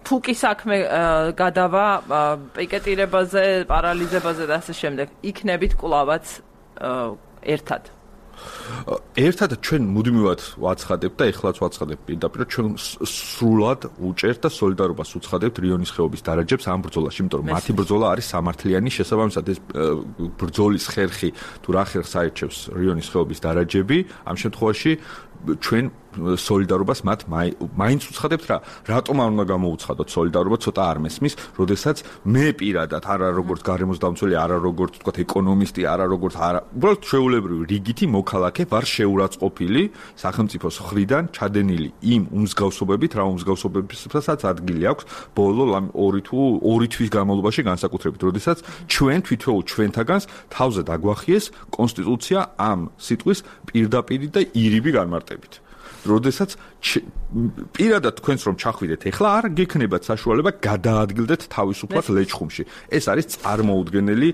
თუ კი საქმე გადავა პიკეტირებაზე, პარალიზებაზე და ასე შემდეგ, იქნებით კვლავაც ერთად. ერთად ჩვენ მუდმივად ვაცხადებთ და ეხლაც ვაცხადებთ პირდაპირ, ჩვენ სრულად უჭერთ და სოლიდარობას უცხადებთ რიონის ხეობის დარაჯებს ამ ბრძოლაში, იმიტომ რომ მათი ბრძოლა არის სამართლიანი, შესაბამისად ეს ბრძოლის ხერხი თუ რა ხერხს აირჩევს რიონის ხეობის დარაჯები, ამ შემთხვევაში ჩვენ სოლიდარობას მათ მაინც უცხადებთ რა. რატომ არ უნდა გამოუცხადოთ სოლიდარობა, ცოტა არ მესმის, როდესაც მე პირადად არა როგორც გარემოსდამცველი, არა როგორც თქვა ეკონომისტი, არა როგორც უბრალოდ ჩვეულებრივი რიგითი მოქალაქე ვარ შეურაცხყოფილი სახელმწიფოს მხრიდან ჩადენილი იმ უმსგავსობებით, რა უმსგავსობებსაც ადგილი აქვს ბოლო 2 თვის განმავლობაში განსაკუთრებით, როდესაც ჩვენ თვითონ ჩვენთაგანს თავზე დაგვახიეს კონსტიტუცია ამ სიტყვის პირდაპირი და ირიბი განმარტებით. როდესაც პირადად თქვენს რომ ჩახვიდეთ, ეხლა არ გექნებათ საშუალება გადაადგილდეთ თავისუფლად ლეჩხუმში. ეს არის წარმოუდგენელი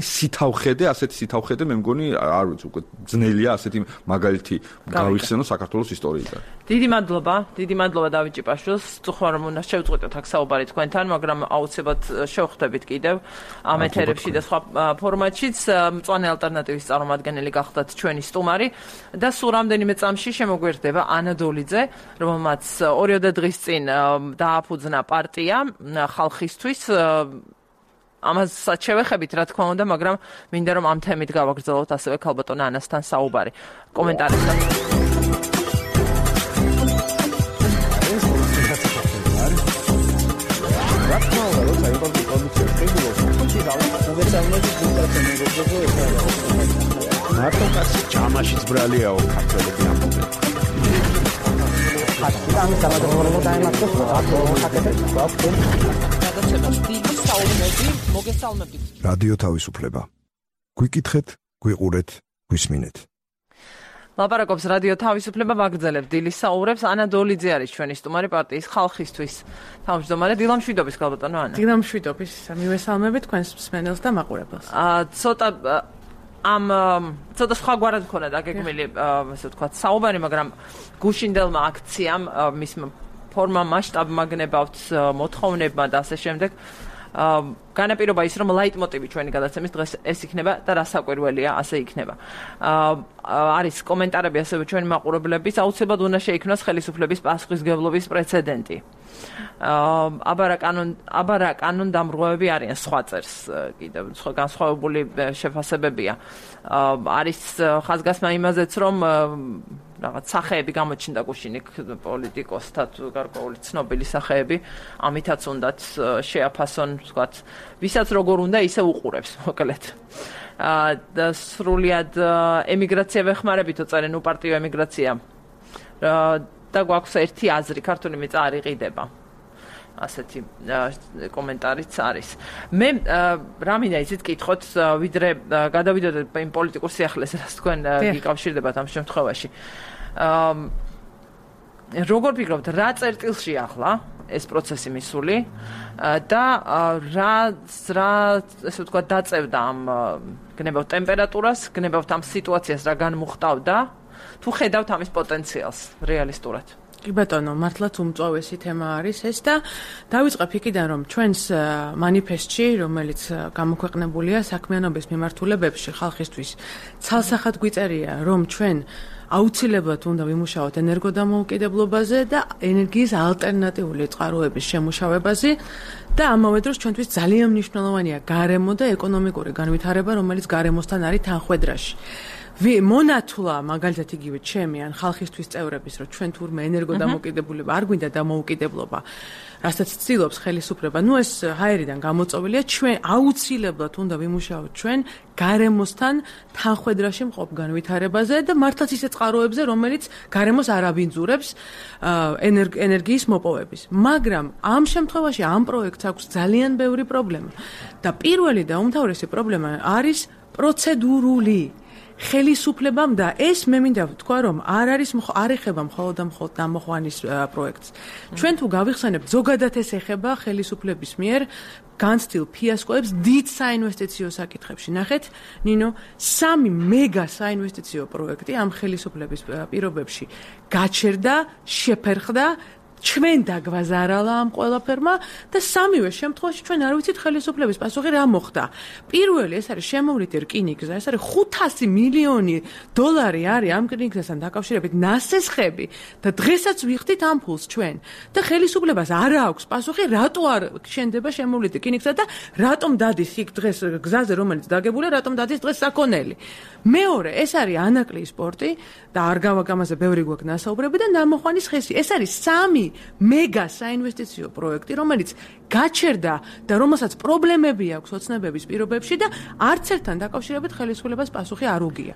სითავხედე, ასეთი სითავხედე მე მგონი არ ვიცი, უკვე ძნელია ასეთი მაგალითი გავიხსენო საქართველოს ისტორიიდან. დიდი მადლობა დავით ჭიპაშვილს. წუხარ რომ უნდა შევწყვეტოთ აქ საუბარი თქვენთან, მაგრამ აუცილებლად შევხვდებით კიდევ ამ ეთერებში და სხვა ფორმატშიც. მწვანე ალტერნატივის წარმომადგენელი გახდათ ჩვენი სტუმარი და სულ რამდენიმე წამში შემოგვერდება ანა დოლიძე, რომელმაც 2 დღის წინ დააფუძნა პარტია ხალხისთვის. ამასაც შევეხებით, რა თქმა უნდა, მაგრამ მინდა რომ ამ თემით გავაგრძელოთ ასევე ქალბატონ ანასთან საუბარი. კომენტარებთან. მარტო კაცი ჯამაშიც ბრალიაო ქართველები ამბობენ. რადიო თავისუფლება. გვიკითხეთ, გვიყურეთ, გვისმინეთ. ლაპარაკობს რადიო თავისუფლება, ვაგრძელებთ დილის საუბრებს. ანა დოლიძე არის ჩვენი სტუმარი პარტიის ხალხისთვის თავმჯდომარე. დილამშვიდობის ქალბატონო ანა. დილამშვიდობის. მივესალმებით თქვენს მსმენელს და მაყურებელს. ცოტა სხვაგვარად მქონდა დაგეგმილი, ასე ვთქვათ, საუბარი, მაგრამ გუშინდელმა აქციამ, მის ფორმა, მასშტაბმა გნებავთ, მოთხოვნებმა და ასე შემდეგ. განაპირობა ის, რომ ლაიტმოტივი ჩვენი გადაცემის დღეს ეს იქნება და რასაკვირველია, ასე იქნება. არის კომენტარები ასევე ჩვენი მაყურებლების, აუცილებლად უნდა შეიქმნას ხელისუფლების პასუხისმგებლობის პრეცედენტი. აბარა კანონდამრღვევები არიან, სხვა წერს კიდევ განსხვავებული შეფასებებია. არის ხაზგასმა იმაზეც, რომ რაღაც სახეები გამოჩნდა გუშინ პოლიტიკოსთა თუ გარკვეული ცნობილი სახეები, ამითაც უნდათ შეაფასონ, ვთქვათ, ვისაც როგორ უნდა ისე უყურებს, მოკლედ. და სრულიად ემიგრაცია ვეხმარებითო წერენ, უპარტიო ემიგრაცია. და გვაქვს ერთი აზრი, ქართული მიწა არ იყიდება. ასეთი კომენტარიც არის. მე რა მინდა იცით კითხოთ, ვიდრე გადავიდოდეთ იმ პოლიტიკურ სიახლეს, რაც თქვენ გიკავშირდებათ ამ შემთხვევაში. როგორ ფიქრობთ, რა წერტილში ახლა ეს პროცესი მისული და რა ესე ვთქვათ დაწევდა ამ გნებავთ ტემპერატურას, გნებავთ ამ სიტუაციას რა განმუხტავდა, თუ ხედავთ ამის პოტენციალს რეალისტურად. კი ბატონო, მართლაც უმწვავესი თემა არის ეს და დავიწყებ იქიდან, რომ ჩვენს მანიფესტში, რომელიც გამოქვეყნებულია საქმიანობის მიმართულებებში ხალხისთვის, ცალსახად გვიწერია, რომ ჩვენ აუცილებლად უნდა ვიმუშაოთ ენერგოდამოუკიდებლობაზე და ენერგიის ალტერნატიული წყაროების შემუშავებაზე და ამავე დროს ჩვენთვის ძალიან მნიშვნელოვანია გარემო და ეკონომიკური განვითარება, რომელიც გარემოსთან არის თანხვედრაში. მონათლა მაგალითად იგივე ჩემი ან ხალხისთვის წევრების, რომ ჩვენ თურმე ენერგოდამოუკიდებლობა არ გვინდა დამოუკიდებლობა, რასაც ცდილობს ხელისუფლება, ნუ ეს ჰაერიდან გამოწვევილია, ჩვენ აუცილებლად უნდა ვიმუშაოთ ჩვენ გარემოსთან თანხვედრაში მყოფ განვითარებაზე და მართლაც ისეთ წყაროებზე, რომელიც გარემოს არ აბინძურებს ენერგიის მოპოვების. მაგრამ ამ შემთხვევაში ამ პროექტს აქვს ძალიან ბევრი პრობლემა და პირველი და უმთავრესი პრობლემა არის პროცედურული. ხელისუფლებამ და ეს მე მინდა ვთქვა, რომ არ ეხება მხოლოდ დამოხვანის პროექტს. ჩვენ თუ გავიხსენებთ, ზოგადად ეს ეხება ხელისუფლების მიერ განცდილ ფიასკოებს დიდ საინვესტიციო საკითხებში. ნახეთ, ნინო, 3 მეგა საინვესტიციო პროექტი ამ ხელისუფლების პირობებში გაჩერდა, შეფერხდა, ჩვენ დაგვაზარალა ამ ყველაფერმა და სამივე შემთხვევაში ჩვენ არ ვიცით ხელისუფლების პასუხი რა მოხდა. პირველი ეს არის შემოვლითი რკინიგზა, ეს არის 500 მილიონი დოლარი არის ამ რკინიგზასთან დაკავშირებით ნასესხები და დღესაც ვიხდით ამ ფულს ჩვენ. და ხელისუფლებას არ აქვს პასუხი, რატო არ შენდება შემოვლითი რკინიგზა და რატომ დადის იქ დღეს გზაზე, რომელიც დაგებულია, რატომ დადის დღეს საქონელი. მეორე, ეს არის ანაკლიის პორტი და არ გავაგამაზე ბევრი გვაქვს ნასაუბრები და ნამოხვანის ხესი. ეს არის 3 მეგა საინვესტიციო პროექტი, რომელიც გაჩერდა და რომელსაც პრობლემები აქვს ოცნებების პირობებში და არც ერთთან დაკავშირებით ხელისუფლებას პასუხი არ უგია.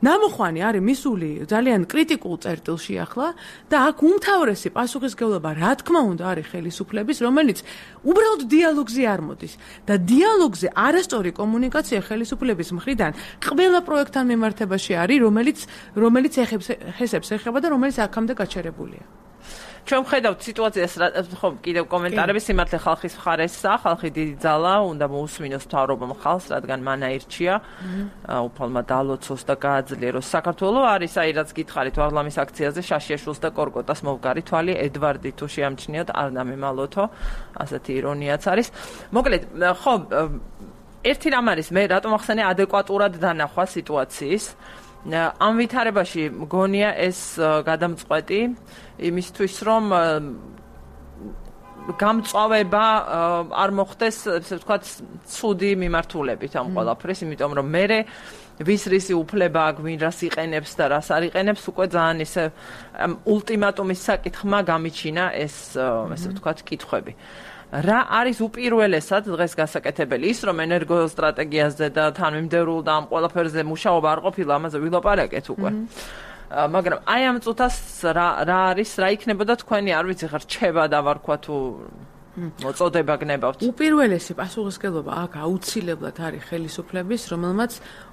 ნამოხვანი არის მისული ძალიან კრიტიკულ წერტილში ახლა და აქ უმთავრესი პასუხისმგებლობა რა თქმა უნდა არის ხელისუფლების, რომელიც უბრალოდ დიალოგზე არ მოდის და დიალოგზე არასწორი კომუნიკაცია ხელისუფლების მხრიდან ყველა პროექტთან მიმართებაში არის, რომელიც ხესებს ეხება და რომელიც აქამდე გაჩერებულია. ჩვენ ხედავთ სიტუაციას, ხო, კიდევ კომენტარები სიმართლე ხალხის მხარესა, ხალხი დიდი ძალა, უნდა მოусმინოს მთავრობამ ხალხს, რადგან მან აირჩია, უფალმა დალოცოს და გააძლიეროს. საქართველო არის, აი რაც გითხარით, ვაღლამის აქციაზე შაშიაშვილს და კორკოტას მოვგარი თვალი, ედვარდი თუ შეამჩნიოთ, არ დამემალოთო, ასეთი ირონიაც არის. მოკლედ, ხო, ერთი რამ არის, მე რატომ ახსენე ადეკვატურად დანახვა სიტუაციის. ამ ვითარებაში მგონია ეს გადამწყვეტი იმისთვის, რომ გამწვავება არ მოხდეს, ესე ვთქვათ, ცუდი მიმართულებით ამ ყველაფრის, იმიტომ რომ მე ვის რისი უფლება აქვს, ვინ რას იყენებს და რას არ იყენებს, უკვე ძალიან ისე ულტიმატუმის საკითხმა გამიჩინა ეს, ესე ვთქვათ, კითხვები. რა არის უპირველესად დღეს გასაკეთებელი? ის რომ ენერგოსტრატეგიაზე და თანმიმდევრულ და ამ ყველაფერზე მუშაობა არ ყოფილა, ამაზე ვილაპარაკეთ უკვე. მაგრამ აი ამ წუთას რა არის, რა იქნებოდა თქვენი, არ ვიცი, ხარ რჩება დავარქვა თუ მოწოდება გნებავთ. უპირველესი პასუხისმგებლობა აქ აუცილებლად არის ხელისუფლების, რომელმაც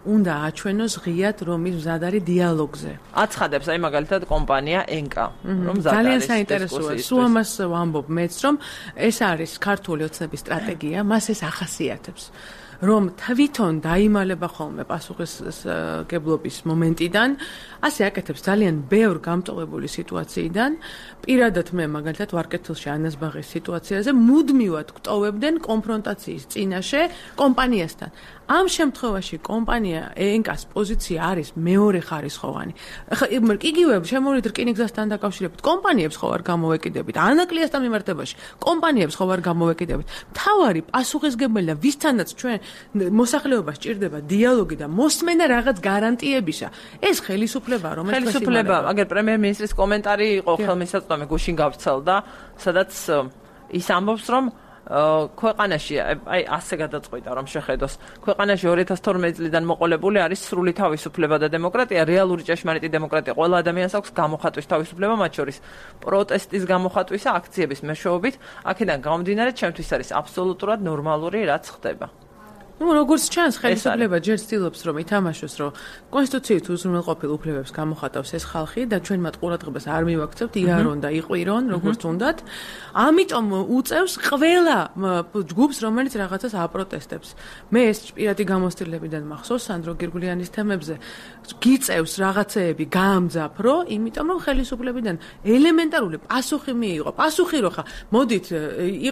უნდა აჩვენოს ღიად, რომ ის მზად არის დიალოგზე. აცხადებს აი მაგალითად კომპანია ENCA, რომ მზად არის. ძალიან საინტერესოა. სულ ამას ვამბობ მეც, რომ ეს არის ქართული ოცნების სტრატეგია, მას ეს ახასიათებს. რომ თვითონ დაიმალება ხოლმე პასუხისმგებლობის მომენტიდან, ასე აკეთებს ძალიან ბევრ გამწვავებული სიტუაციიდან. პირადად მე მაგალითად ვარკეთილში ანაზბაღის სიტუაციაზე მუდმივად გვტოვებდნენ კონფრონტაციის წინაშე კომპანიასთან. ამ შემთხვევაში კომპანია ENCA-ს პოზიცია არის მეორე ხარისხოვანი. იგივე შემოვლით რკინიგზასთან დაკავშირებით კომპანიებს ხო არ გამოვეკიდებით, ანაკლიასთან მიმართებაში კომპანიებს ხო არ გამოვეკიდებით. მთავარი პასუხისმგებელი და ვისთანაც ჩვენ მოსახლეობა სჭირდება დიალოგი და მოსმენა რაღაც გარანტიებისა. ეს ხელისუფლება, რომელიც ხელისუფლება, აგერ პრემიერ-მინისტრის კომენტარი იყო ხელმისაწვდომი გუშინ გავრცელდა, სადაც ის ამბობს, რომ ქვეყანაში, აი ასე გადაწყვიტა, რომ შეხედოს, ქვეყანაში 2012 წლიდან მოყოლებული არის სრული თავისუფლება და დემოკრატია, რეალური ჭეშმარიტი დემოკრატია. ყველა ადამიანს აქვს გამოხატვის თავისუფლება, მათ შორის პროტესტის გამოხატვისა, აქციების მეშვეობით. აქედან გამომდინარე, ჩემთვის არის აბსოლუტურად ნორმალური, რაც ხდება. ну როგორც ჩანს ხელისუფლება ჯერ ცდილობს რომ ითამაშოს რომ კონსტიტუციით უზრუნველყოფილ უფლებებს გამოხატავს ეს ხალხი და ჩვენ მათ ყურადღებას არ მივაქცევთ იარონ და იყვირონ როგორც უნდათ ამიტომ უწევს ყველა ჯგუფს რომელიც რაღაცას აპროტესტებს მე ეს პირადი გამოცდილებიდან მახსოვს სანდრო გირგულიანის თემებზე გიწევს რაღაცეები გაამძაფრო იმიტომ რომ ხელისუფლებიდან ელემენტარული პასუხი მიიღო პასუხი რო ხა მოდით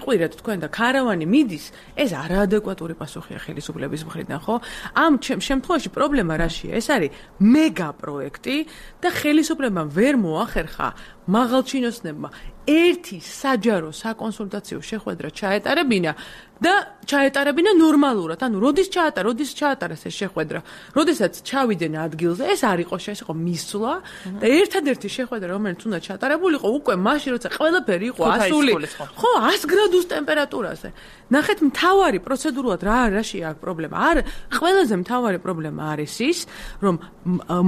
იყვირეთ თქვენ და ქარავანი მიდის ეს არაადეკვატური პასუხია ხელისუფლების მხრიდან ხო ამ შემთხვევაში პრობლემა რაშია ეს არის მეგა პროექტი და ხელისუფლებამ ვერ მოახერხა მაღალჩინოსნებმა ერთი საჯარო საკონსულტაციო შეხვედრა ჩაეტარებინა და ჩაეტარებინა ნორმალურად ანუ როდის ჩაატარეს ეს შეხვედრა როდესაც ჩავიდნენ ადგილზე ეს არ იყო ეს იყო მისვლა და ერთადერთი შეხვედრა რომელიც უნდა ჩაატარებულიყო უკვე მაშინ როცა ყველაფერი იყო ასული ხო 100 გრადუს ტემპერატურაზე ნახეთ მთავარი პროცედურულად რაშია აქ პრობლემა არ ყველაზე მთავარი პრობლემა არის ის რომ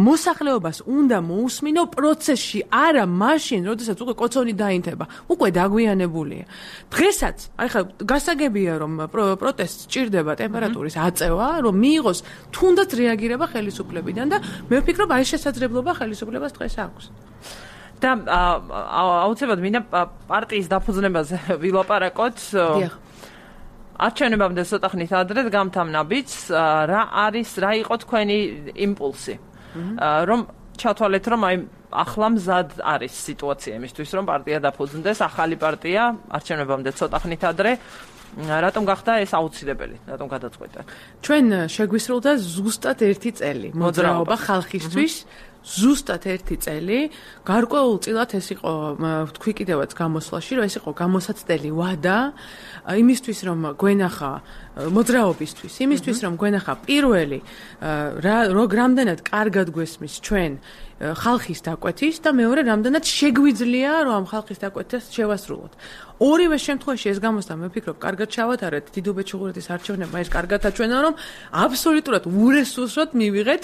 მოსახლეობას უნდა მოусმინო პროცესში არა მაშინ როდესაც უკვე კოცონი დაინთება უკვე დაგვიანებულია დღესაც აი ხა გასაგებია რომ პროტესტს ჭირდება ტემპერატურის აწევა რომ მიიღოს თუნდაც რეაგირება ხელისუფლებიდან და მე ვფიქრობ აი შესაძლებლობა ხელისუფლებას დღეს აქვს და აუცილებლად მინდა პარტიის დაფუძნებაზე ვილაპარაკოთ არჩევნებამდე ცოტა ხნით ადრე გამთამნაბიც რა იყო თქვენი იმპულსი რომ ჩათვალეთ რომ აი ახლა მზად არის სიტუაცია იმისთვის რომ პარტია დაფუძნდეს ახალი პარტია არჩევნებამდე ცოტა ხნით ადრე რატომ გახდა ეს აუცილებელი რატომ გადაწყვეტა ჩვენ შეგვისრულდა ზუსტად 1 წელი მოძრაობა ხალხისთვის ზუსტად 1 წელი გარკვეულწილად ეს იყო თქვი კიდევაც გამოსვლაში რომ ეს იყო გამოსაცდელი ვადა იმისთვის რომ გვენახა მოძრაობისთვის იმისთვის რომ გვენახა პირველი რამდენად კარგად გვესმის ჩვენ ხალხის დაკვეთის და მეორე რამდენად შეგვიძლია რომ ამ ხალხის დაკვეთას შევასრულოთ ორივე შემთხვევაში ეს გამოსდა მე ვფიქრობ კარგად ჩავატარეთ დიდუბეთ-ჩუღურეთის არჩევნებმა ეს კარგად აჩვენა რომ აბსოლუტურად ურესურსოდ მივიღეთ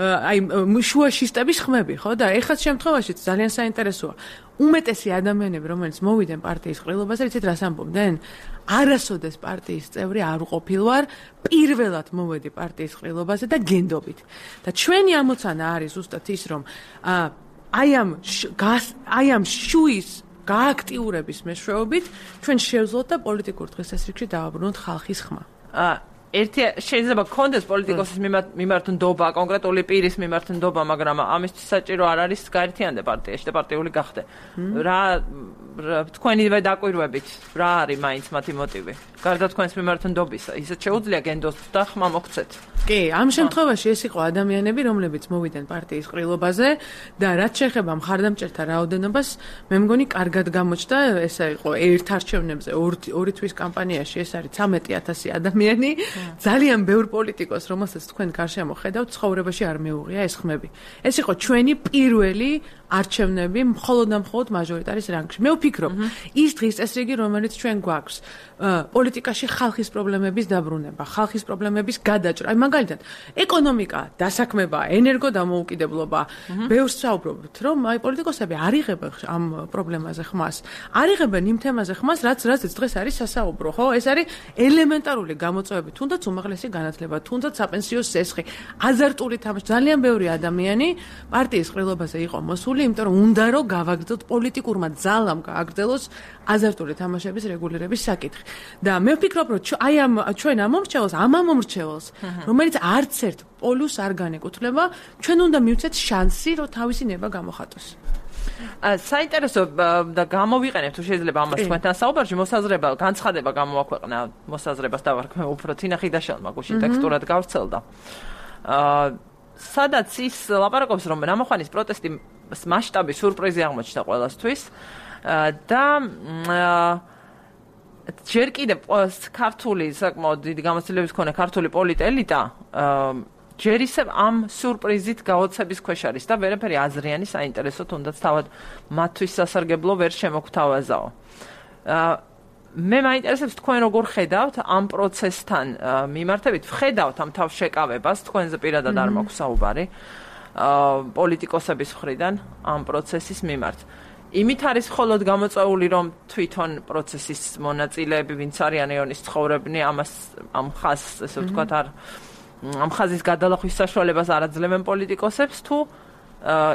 აი შუა შისტების ხმები ხო და ეხლა შემთხვევაში ძალიან საინტერესოა უმეტესი ადამიანები რომელიც მოვიდნენ პარტიის ყრილობაზე იცით რას ამბობდნენ არასოდეს პარტიის წევრი არ ყოფილვარ პირველად მოვედი პარტიის ყრილობაზე და გენდობით და ჩვენი ამოცანა არის ზუსტად ის რომ აი ამ შუის გააქტიურების მეშვეობით ჩვენ შევძლოთ და პოლიტიკურ დღესასრიგში დავაბრუნოთ ხალხის ხმა. ერთი შეიძლება კონდეს პოლიტიკოსის მიმართ ნდობა, კონკრეტული პირის მიმართ ნდობა, მაგრამ ამისთვის საჭირო არ არის გაერთიანდა პარტიაში და პარტიული გახდე. რა თქვენივე დაკვირვებით, რა არის მაინც მათი მოტივი? გარდა თქვენს მიმართ ნდობისა, ისეთ შეუძლია გენდოს და ხმა მოგცეთ. კი, ამ შემთხვევაში ეს იყო ადამიანები, რომლებიც მოვიდნენ პარტიის ყრილობაზე და რაც შეეხება მხარდამჭერთა რაოდენობას, მე მგონი კარგად გამოჩნდა, ეს იყო ერთ არჩევნებზე, ორი თვის კამპანიაში ეს არის 13000 ადამიანი. ძალიან ბევრ პოლიტიკოს, რომელსაც თქვენ გარშემო ხედავთ, ცხოვრებაში არ მეუღია ეს ხმები. ეს იყო ჩვენი პირველი არჩევნები მხოლოდ და მხოლოდ მაჟორიტარის რანგში. მე ვფიქრობ, ის დღის წესრიგი, რომელიც ჩვენ გვაქვს, პოლიტიკაში ხალხის პრობლემების დაბრუნება, ხალხის პრობლემების გადაჭრა. აი მაგალითად, ეკონომიკა, დასაქმება, ენერგოდამოუკიდებლობა, ბევრს საუბრობთ, რომ აი პოლიტიკოსები არ იღებენ ამ პრობლემაზე ხმას. არ იღებენ იმ თემაზე ხმას, რაც დღეს არის სასაუბრო, ხო? ეს არის ელემენტარული გამოწვევები, თუნდაც უმაღლესი განათლება, თუნდაც საპენსიო სესხი, აზარტული თამაში. ძალიან ბევრი ადამიანი პარტიის ყრილობაზე იყო მოსული, იმიტომ რომ უნდა რომ გავაგრძელოთ პოლიტიკურმა ძალამ გააგრძელოს აზარტული თამაშების რეგულირების საკითხი. და მე ვფიქრობ, რომ აი ამ ჩვენ ამ მომრჩეველს, რომელიც არც ერთ პოლუსს არ განეკუთვნება, ჩვენ უნდა მივცეთ შანსი, რომ თავისი ნება გამოხატოს. საინტერესო და გამოვიყენებ თუ შეიძლება ამას თქვენთან საუბარში მოსაზრება განცხადება გამოაქვეყნა მოსაზრებას დავარქმევ უფრო თინა ხიდაშელმა გუშინ ტექსტურად გავრცელდა სადაც ის ლაპარაკობს რომ ნამოხანის პროტესტის მასშტაბი სიურპრიზი აღმოჩნდა ყველასთვის და ჯერ კიდევ ქართული საკმაოდ დიდი გამოცდილების მქონე ქართული პოლიტელიტა ჯერ ისევ ამ სიურპრიზით გაოცების ქვეშ არის და ვერაფერი აზრიანი საინტერესო თუნდაც თავად მათთვის სასარგებლო ვერ შემოგთავაზაო. მე მაინტერესებს თქვენ როგორ ხედავთ ამ პროცესთან მიმართებით, ხედავთ ამ თავშეკავებას, თქვენზე პირადად არ მაქვს საუბარი პოლიტიკოსების მხრიდან ამ პროცესის მიმართ. იმით არის მხოლოდ გამოწვეული, რომ თვითონ პროცესის მონაწილეები, ვინც არიან ეონის ცხოვრებნი, ამ ხაზს, ესე ვთქვათ, ამ ხაზის გადალახვის საშუალებას არ აძლევენ პოლიტიკოსებს, თუ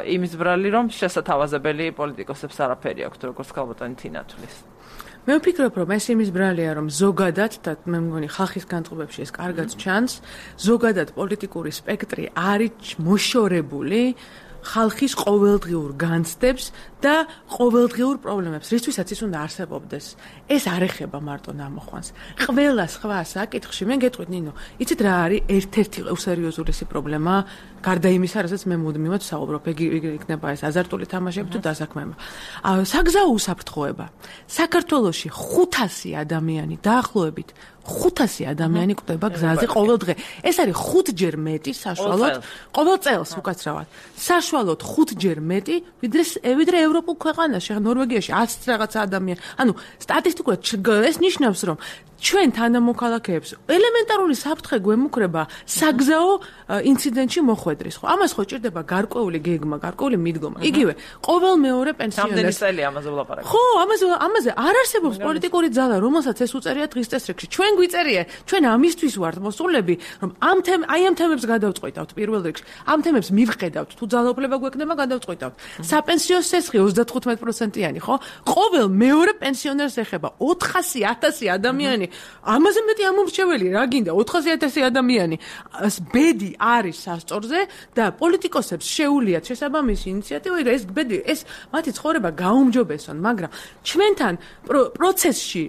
იმის ბრალი, რომ შესათავაზებელი პოლიტიკოსებს არაფერი აქვთ, როგორც ქალბატონი თინა თვლის. მე ვფიქრობ, რომ ეს იმის ბრალია, რომ ზოგადად და მე მგონი ხალხის განწყობებში ეს კარგად ჩანს, ზოგადად პოლიტიკური სპექტრი არის მოშორებული ხალხის ყოველდღიურ განცდებს და ყოველდღიურ პრობლემებს, რისთვისაც ის უნდა არსებობდეს. ეს არ ეხება მარტო ნამოხვანს. ყველა სხვა საკითხში მე გეტყვით, ნინო, იცით რა არის ერთ-ერთი უსერიოზულესი პრობლემა, გარდა იმისა, რასაც მე მუდმივად ვსაუბრობ, იქნება ეს აზარტული თამაშები თუ დასაქმება. საგზაო უსაფრთხოება. საქართველოში 500 ადამიანი დაახლოებით 500 ადამიანი კვდება გზაზე ყოველ დღე. ეს არის 5-ჯერ მეტი საშუალოდ ყოველ წელს უკაცრავად. საშუალოდ 5-ჯერ მეტი ვიდრე ევროპულ ქვეყანაში, ნორვეგიაში 100 რაღაცა ადამიანი. ანუ სტატისტიკურად ეს ნიშნავს, რომ ჩვენ თანამოქალაქეებს ელემენტარული საფრთხე გვემუქრება საგზაო ინციდენტში მოხვედრის, ხო? ამას ხო ჭირდება გარკვეული გეგმა, გარკვეული მიდგომა. იგივე, ყოველ მეორე პენსიონერს. რამდენი წელი ამაზე ვლაპარაკობ? ხო, ამაზე არ არსებობს პოლიტიკური ძალა, რომელსაც ეს უწერია დღის წესრიგში. ჩვენ გვიწერია, ჩვენ ამისთვის ვართ მოსულები, რომ ამ თემებს გადავწყვეტავთ პირველ რიგში. ამ თემებს მივხედავთ, თუ ძალაუფლება გვექნება, გადავწყვეტავთ. საპენსიო სესხი 35%-იანი, ხო? ყოველ მეორე პენსიონერს ეხება 400,000 ადამიანი. ამაზე მეტი ამომრჩეველი რა გინდა 400,000 ადამიანი ბედი არის სასწორზე და პოლიტიკოსებს შეუულიათ შესაბამისი ინიციატივა ეს ბედი ეს მათი ცხოვრება გაუმჯობესონ მაგრამ ჩვენთან პროცესში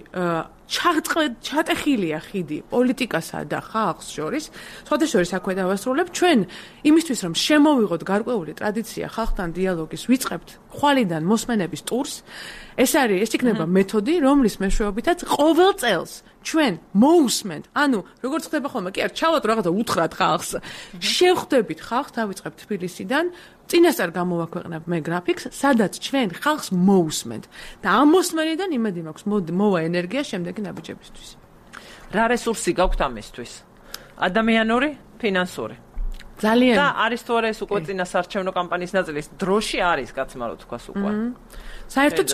ჩატეხილია ხიდი პოლიტიკასა და ხალხს შორის სხვადასხვა აქვე დავასრულებ ჩვენ იმისთვის რომ შემოვიღოთ გარკვეული ტრადიცია ხალხთან დიალოგის ვიწყებთ ხვალიდან მოსმენების ტურს ეს იქნება მეთოდი რომლის მეშვეობითაც ყოველ წელს ჩვენ მოусმენთ ანუ როგორც ხდება ხოლმე კი არ ჩავად რაღაცა უთხრათ ხალხს შევხვდებით ხალხს დავიწყებთ თბილისიდან წინასწარ გამოვაქვეყნებ მე გრაფიკს სადაც ჩვენ ხალხს მოусმენთ და ამ მოსმენიდან იმედი მაქვს მოვა ენერგია შემდეგი ნაბიჯებისთვის რა რესურსი გაქვთ ამისთვის ადამიანური ფინანსური ძალიან და არის თუ არა ეს უკვე წინასარჩევნო კამპანიის ნაწილი დროში არის გაცმარო თქვას უკვე საერთოდ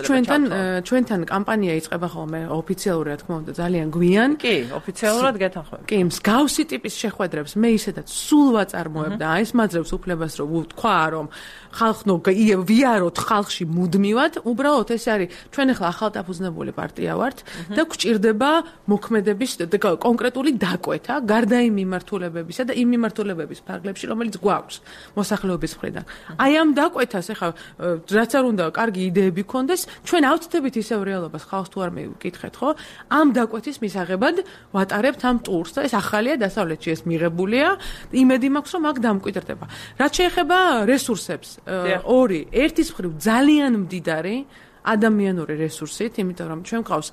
ჩვენთან კამპანია იწყება ხოლმე ოფიციალურად რა თქმა უნდა ძალიან გვიან კი ოფიციალურად გეთანხმებით კი მსგავსი ტიპის შეხვედრებს მე ისედაც სულ ვაწარმოებ და ეს მაძლევს უფლებას რომ ვთქვა რომ ხალხნო ვიაროთ ხალხში მუდმივად უბრალოდ ეს არის ჩვენ ახლა ახალდაფუძნებული პარტია ვართ და გვჭირდება მოქმედების კონკრეტული დაკვეთა გარდა იმ მიმართულებებისა და იმ მიმართულებების ფარგლებში რომელიც გვაქვს მოსახლეობის მხრიდან აი ამ დაკვეთას ახლა რაც არ უნდა კარგი იდეები კონდეს ჩვენ ავწდებით ისევ რეალობას ხალხს თუ არ მეკითხეთ ხო ამ დაკვეთის მისაღებად ვატარებთ ამ ტურს და ეს ახალია დასავლეთში ეს მიღებულია იმედი მაქვს რომ აქ დამკვიდრდება რაც შეეხება რესურსებს ორი ერთის მხრივ ძალიან მდიდარი ადამიანური რესურსით იმიტომ რომ ჩვენ ყავს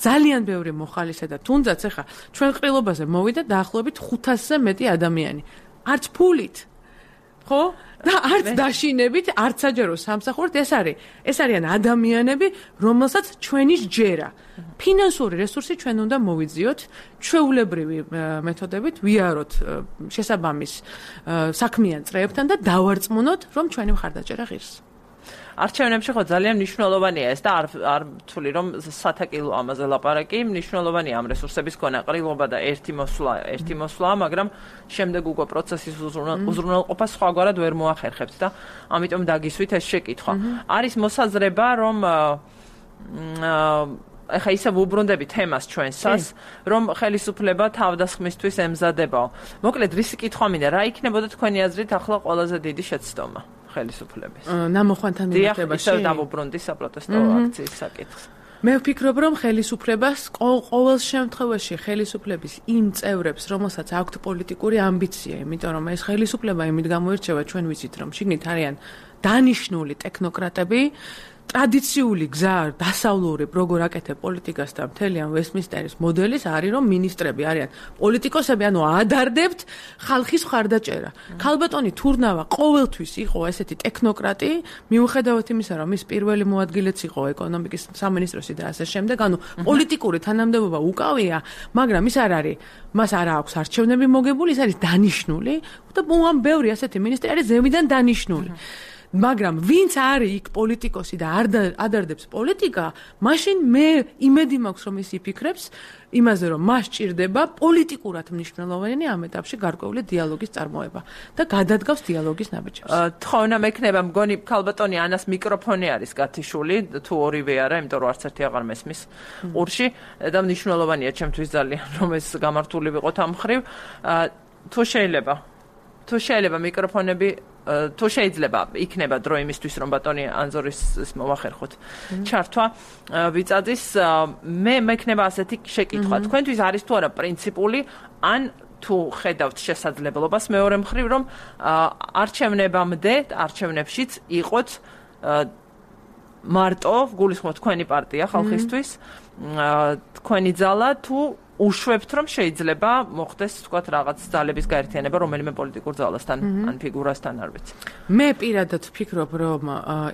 ძალიან ბევრი მოხალისე და თუნდაც ახლა ჩვენ ყრილობაზე მოვიდა დაახლოებით 500-ზე მეტი ადამიანი არც ფულით ხო და არც დაშინებით, არც საჯარო სამსახურით ეს არიან ადამიანები, რომელსაც ჩვენი სჯერა. ფინანსური რესურსი ჩვენ უნდა მოვიძიოთ, ჩვეულებრივი მეთოდებით ვიაროთ შესაბამის საქმიან წრეებთან და დავარწმუნოთ, რომ ჩვენი მხარდაჭერა ღირს. არჩევნებში ხო ძალიან მნიშვნელოვანია ეს და არ თვლი რომ სათაკილო ამაზე ლაპარაკი მნიშვნელოვანია ამ რესურსების ქონა ყრილობა და ერთი მოსვლა მაგრამ შემდეგ უკვე პროცესის უზრუნველყოფა სხვაგვარად ვერ მოახერხებთ და ამიტომ დაგისვით ეს შეკითხვა არის მოსაზრება რომ ახლა ისე ვუბრუნდებით თემას ჩვენსას რომ ხელისუფლება თავდასხმისთვის ემზადებაო მოკლედ რისი კითხვა მინდა რა იქნებოდა თქვენი აზრით ახლა ყველაზე დიდი შეცდომა ხელისუფლების. ნამოხვანთან მიმართებაში. ისევ დავუბრუნდი საპროტესტო აქციის საკითხს. მე ვფიქრობ, რომ ხელისუფლებას ყოველ შემთხვევაში ხელისუფლების იმ წევრებს, რომელსაც აქვთ პოლიტიკური ამბიცია, იმიტომ რომ ეს ხელისუფლება იმით გამოირჩევა, ჩვენ ვიცით, რომ შიგნით არიან დანიშნული ტექნოკრატები, ტრადიციული გზა დასავლური როგორ აკეთებ პოლიტიკას და მთელი ამ ვესტმინსტერის მოდელის არის რომ მინისტრები არიან პოლიტიკოსები ანუ ადარდებთ ხალხის მხარდაჭერა. ქალბატონი თურნავა ყოველთვის იყო ესეთი ტექნოკრატი, მიუხედავად იმისა რომ ის პირველი მოადგილეც იყო ეკონომიკის სამინისტროსი და ასე შემდეგ, ანუ პოლიტიკური თანამდებობა უკავია, მაგრამ ის არ არის, მას არ აქვს არჩევნები მოგებული, ის არის დანიშნული და ამ ბევრი ასეთი მინისტრი არის ზევიდან დანიშნული. მაგრამ ვინც არის იქ პოლიტიკოსი და არ ადარდებს პოლიტიკა, მაშინ მე იმედი მაქვს რომ ის იფიქრებს იმაზე რომ მას ჭირდება პოლიტიკურად მნიშვნელოვანი ამ ეტაპში გარკვეული დიალოგის წარმოება და გადადგავს დიალოგის ნაბიჯებს. თხოვნა მექნება მგონი ქალბატონი ანას მიკროფონი არის გათიშული თუ ორივე არა, იმიტომ რომ არც ერთი აღარ მესმის ყურში და მნიშვნელოვანია ჩემთვის ძალიან რომ ეს გამართული ვიყოთ ამ ხრივ. თუ შეიძლება მიკროფონები თუ შეიძლება იქნება დრო იმისთვის რომ ბატონი ანზორის მოვახერხოთ ჩართვა ვიწაძის მე მექნება ასეთი შეკითხვა თქვენთვის არის თუ არა პრინციპული ან თუ ხედავთ შესაძლებლობას მეორე მხრივ რომ არჩევნებამდე არჩევნებშიც იყოთ მარტო გულისხმობ თქვენი პარტია ხალხისთვის თქვენი ძალა თუ უშვებთ რომ შეიძლება მოხდეს თქვათ რაღაც ძალების გაერთიანება რომელიმე პოლიტიკურ ძალასთან ან ფიგურასთან არ ვიცი. მე პირადად ვფიქრობ რომ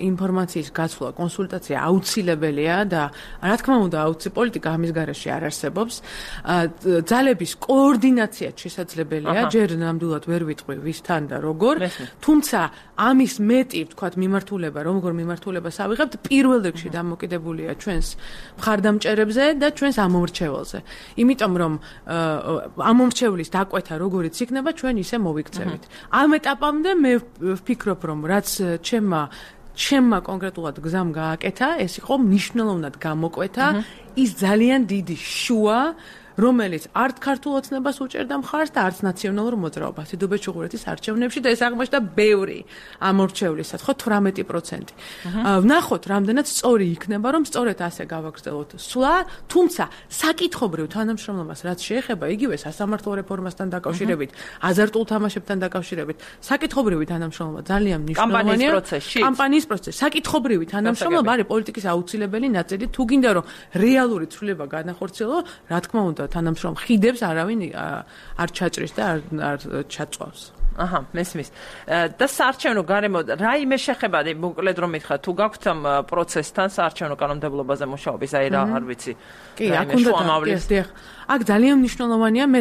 ინფორმაციის გაცვლა, კონსულტაცია აუცილებელია და რა თქმა უნდა პოლიტიკა ამის გარეშე არ არსებობს. ძალების კოორდინაცია შესაძლებელია, ჯერ ნამდვილად ვერ ვიტყვი ვისთან და როგორ, თუმცა ამის მეტი თქვათ მიმართულება, როგორ მიმართულებას ავიღებთ, პირველ რიგში დამოკიდებულია ჩვენს მხარდამჭერებზე და ჩვენს ამომრჩეველზე. იმიტომ რომ ამომრჩევლის დაკვეთა როგორიც იქნება ჩვენ ისე მოვიქცევით. ამ ეტაპამდე მე ვფიქრობ რომ რაც ჩემმა კონკრეტულად გზამ გააკეთა, ეს იყო მნიშვნელოვნად გამოკვეთა ის ძალიან დიდი შუა რომელიც არც ქართულ ოცნებას უჭერდა მხარს და არც ნაციონალურ მოძრაობას დიდუბეს ჩუღურეთის არჩევნებში და ეს აღმოჩნდა ბევრი ამორჩევლისად, ხო 18%. ვნახოთ, რამდენად სწორი იქნება, რომ სწორედ ასე გავაგრძელოთ სვლა, თუმცა საკითხობრივ თანამშრომლობას რაც შეეხება იგივე სასამართლო რეფორმასთან დაკავშირებით, აზარტულ თამაშებთან დაკავშირებით, საკითხობრივი თანამშრომლობა ძალიან მნიშვნელოვანია. კამპანიის პროცესში. საკითხობრივი თანამშრომლობა არის პოლიტიკის აუცილებელი ნაწილი, თუ გინდა რომ რეალური ცვლილება განახორციელო, რა თქმა უნდა თანამშრომ ხიდებს არავინ არ ჩაჭრის და არ ჩაწვავს. აჰა, მესმის. და საარჩევნო გარემო რაიმე შეხება, მოკლედ რომ მითხრა, თუ გაქვთ ამ პროცესთან საარჩევნო კანონმდებლობაზე მუშაობის, აი რა არ ვიცი. კი, აქ უნდა დიახ. აქ ძალიან მნიშვნელოვანია, მე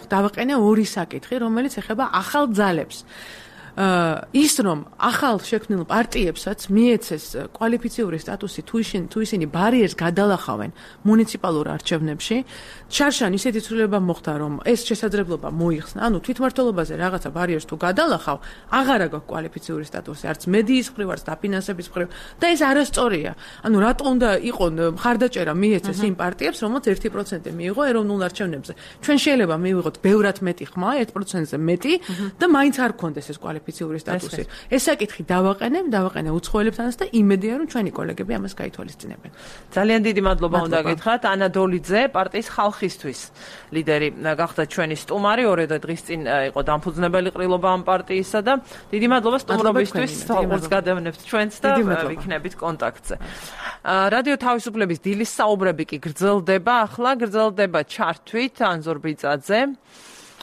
დავაყენე ორი საკითხი, რომელიც ეხება ახალ ძალებს. ის რომ ახალ შექმნილ პარტიებსაც მიეცეს კვალიფიციური სტატუსი თუ ისინი ბარიერს გადალახავენ მუნიციპალურ არჩევნებში, შარშან ისეთი ცვლილება მოხდა, რომ ეს შესაძლებლობა მოიხსნა, ანუ თვითმმართველობაზე რაღაცა ბარიერს თუ გადალახავ, აღარა გაქვს კვალიფიციური სტატუსი, არც მედიის მხრივ, არც დაფინანსების მხრივ და ეს არასწორია. ანუ რატო უნდა იყოს მხარდაჭერა მიეცეს იმ პარტიებს, რომელსაც 1% მიიღო ეროვნულ არჩევნებზე. ჩვენ შეიძლება მივიღოთ ბევრად მეტი ხმა, 1%-ზე მეტი და მაინც არ გქონდეს ეს კვალიფიციური სტატუსი. ეს საკითხი დავაყენე უცხოელებთანაც და იმედია რომ ჩვენი კოლეგები ამას გაითვალისწინებენ. ძალიან დიდი მადლობა უნდა გითხრათ ანა დოლიძე, პარტიის ხალხისთვის ლიდერი გახდა ჩვენი სტუმარი, ორე დღის წინ იყო დამფუძნებელი ყრილობა ამ პარტიისა და დიდი მადლობა სტუმრობისთვის, თვალყურს გადავნებთ ჩვენც და ვიქნებით კონტაქტზე. რადიო თავისუფლების დილის საუბრები კი გრძელდება, ახლა გრძელდება ჩართვით ანზორ ბიწაძე.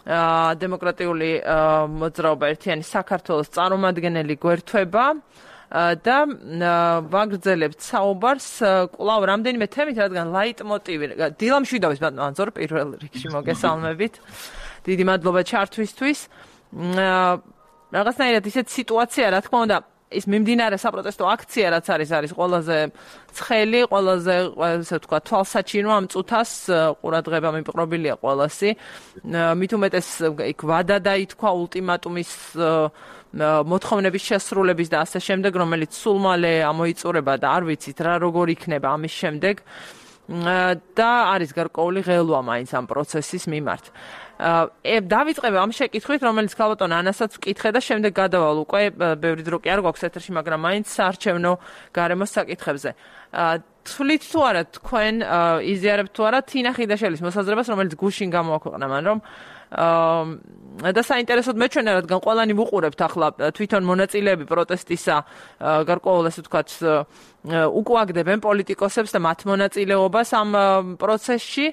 დემოკრატიული მოძრაობა ერთიანი საქართველოს წარმომადგენელი გვერდება და ვაგრძელებთ საუბარს კვლავ რამდენიმე თემით, რადგან ლაიტმოტივი დილა მშვიდობის ბატონო ანზორ პირველ რიგში მოგესალმებით. დიდი მადლობა ჩართვისთვის. რაღაცნაირად ისეთ სიტუაცია, რა თქმა უნდა, ის მიმდინარე საპროტესტო აქცია რაც არის ყველაზე ცხელი, ყველაზე ესე ვთქვა თვალსაჩინო ამ წუთას ყურადღება მიპყრობილია ყველასი. მით უმეტეს იქ ვადა დაითქვა ულტიმატუმის მოთხოვნების შესრულების და ასე შემდეგ, რომელიც სულ მალე ამოიწურება და არ ვიცით რა როგორ იქნება ამის შემდეგ და არის გარკვეული ღელვა მაინც ამ პროცესის მიმართ. დავიწყებ ამ შეკითხვით, რომელიც ქალბატონ ანასაც ვკითხე და შემდეგ გადავალ უკვე ბევრი დრო კი არ გვაქვს ეთერში, მაგრამ მაინც საარჩევნო გარემოს საკითხებზე. თვლით თუ არა თქვენ იზიარებთ თუ არა თინა ხიდაშელის მოსაზრებას, რომელიც გუშინ გამოაქვეყნა მან, რომ და საინტერესოდ მეჩვენა, რადგან ყველანი ვუყურებთ ახლა თვითონ მონაწილეები პროტესტისა გარკვეულ ესე ვთქვათ უკუაგდებენ პოლიტიკოსებს და მათ მონაწილეობას ამ პროცესში.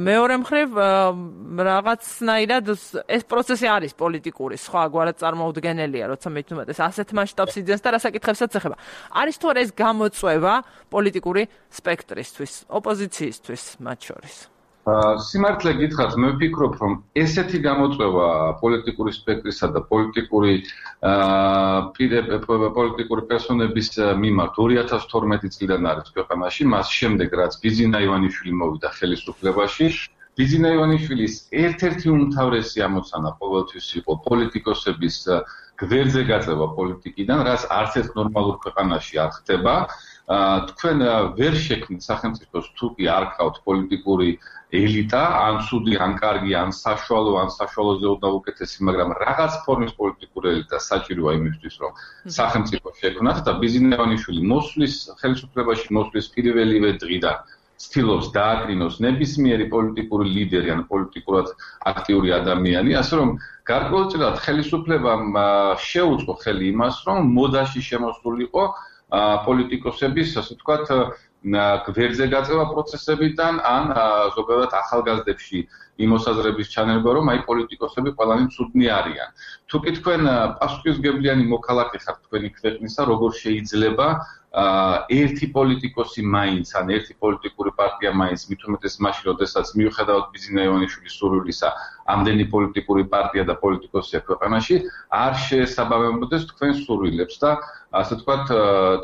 მეორე მხრივ რაღაცნაირად ეს პროცესი არის პოლიტიკური, სხვაგვარად წარმოუდგენელია, როცა მით უმეტეს ასეთ მასშტაბს იძენს და რა საკითხებსაც ეხება. არის თუ არა ეს გამოწვევა პოლიტიკური სპექტრისთვის, ოპოზიციისთვის მათ შორის? სიმართლე გითხრათ, მე ვფიქრობ, რომ ესეთი გამოწვევა პოლიტიკური სპექტრისა და პოლიტიკური პერსონების მიმართ 2012 წლიდან არის ქვეყანაში, მას შემდეგ რაც ბიძინა ივანიშვილი მოვიდა ხელისუფლებაში, ბიძინა ივანიშვილის ერთ-ერთი უმთავრესი ამოცანა ყოველთვის იყო პოლიტიკოსების გვერდზე გაწევა პოლიტიკიდან, რაც არც ერთ ნორმალურ ქვეყანაში არ ხდება. თქვენ ვერ შექმნით სახელმწიფოს თუ კი არ გყავთ პოლიტიკური ელიტა, ან ცუდი, ან კარგი, ან საშუალო, ან საშუალოზე უდაუკეთესი, მაგრამ რაღაც ფორმის პოლიტიკური ელიტა საჭიროა იმისთვის, რომ სახელმწიფო შექმნათ და ბიძინა ივანიშვილი მოსვლის ხელისუფლებაში მოსვლის პირველივე დღიდან ცდილობს დააკრინოს ნებისმიერი პოლიტიკური ლიდერი ან პოლიტიკურად აქტიური ადამიანი, ასე რომ გარკვეულწილად ხელისუფლებამ შეუწყო ხელი იმას, რომ მოდაში შემოსულიყო პოლიტიკოსების, ასე ვთქვათ, გვერდზე გაწევა პროცესებიდან ან ზოგადად ახალგაზრდებში იმ მოსაზრების ჩანება, რომ აი პოლიტიკოსები ყველანი ცუდნი არიან. თუ კი თქვენ პასუხისმგებლიანი მოქალაქე ხართ თქვენი ქვეყნისა, როგორ შეიძლება ერთი პოლიტიკოსი მაინც ან ერთი პოლიტიკური პარტია მაინც მით უმეტეს მაშინ, როდესაც მიუხედავად ბიძინა ივანიშვილის სურვილისა, ამდენი პოლიტიკური პარტია და პოლიტიკოსია ქვეყანაში, არ შეესაბამებოდეს თქვენს სურვილებს და ასე ვთქვათ,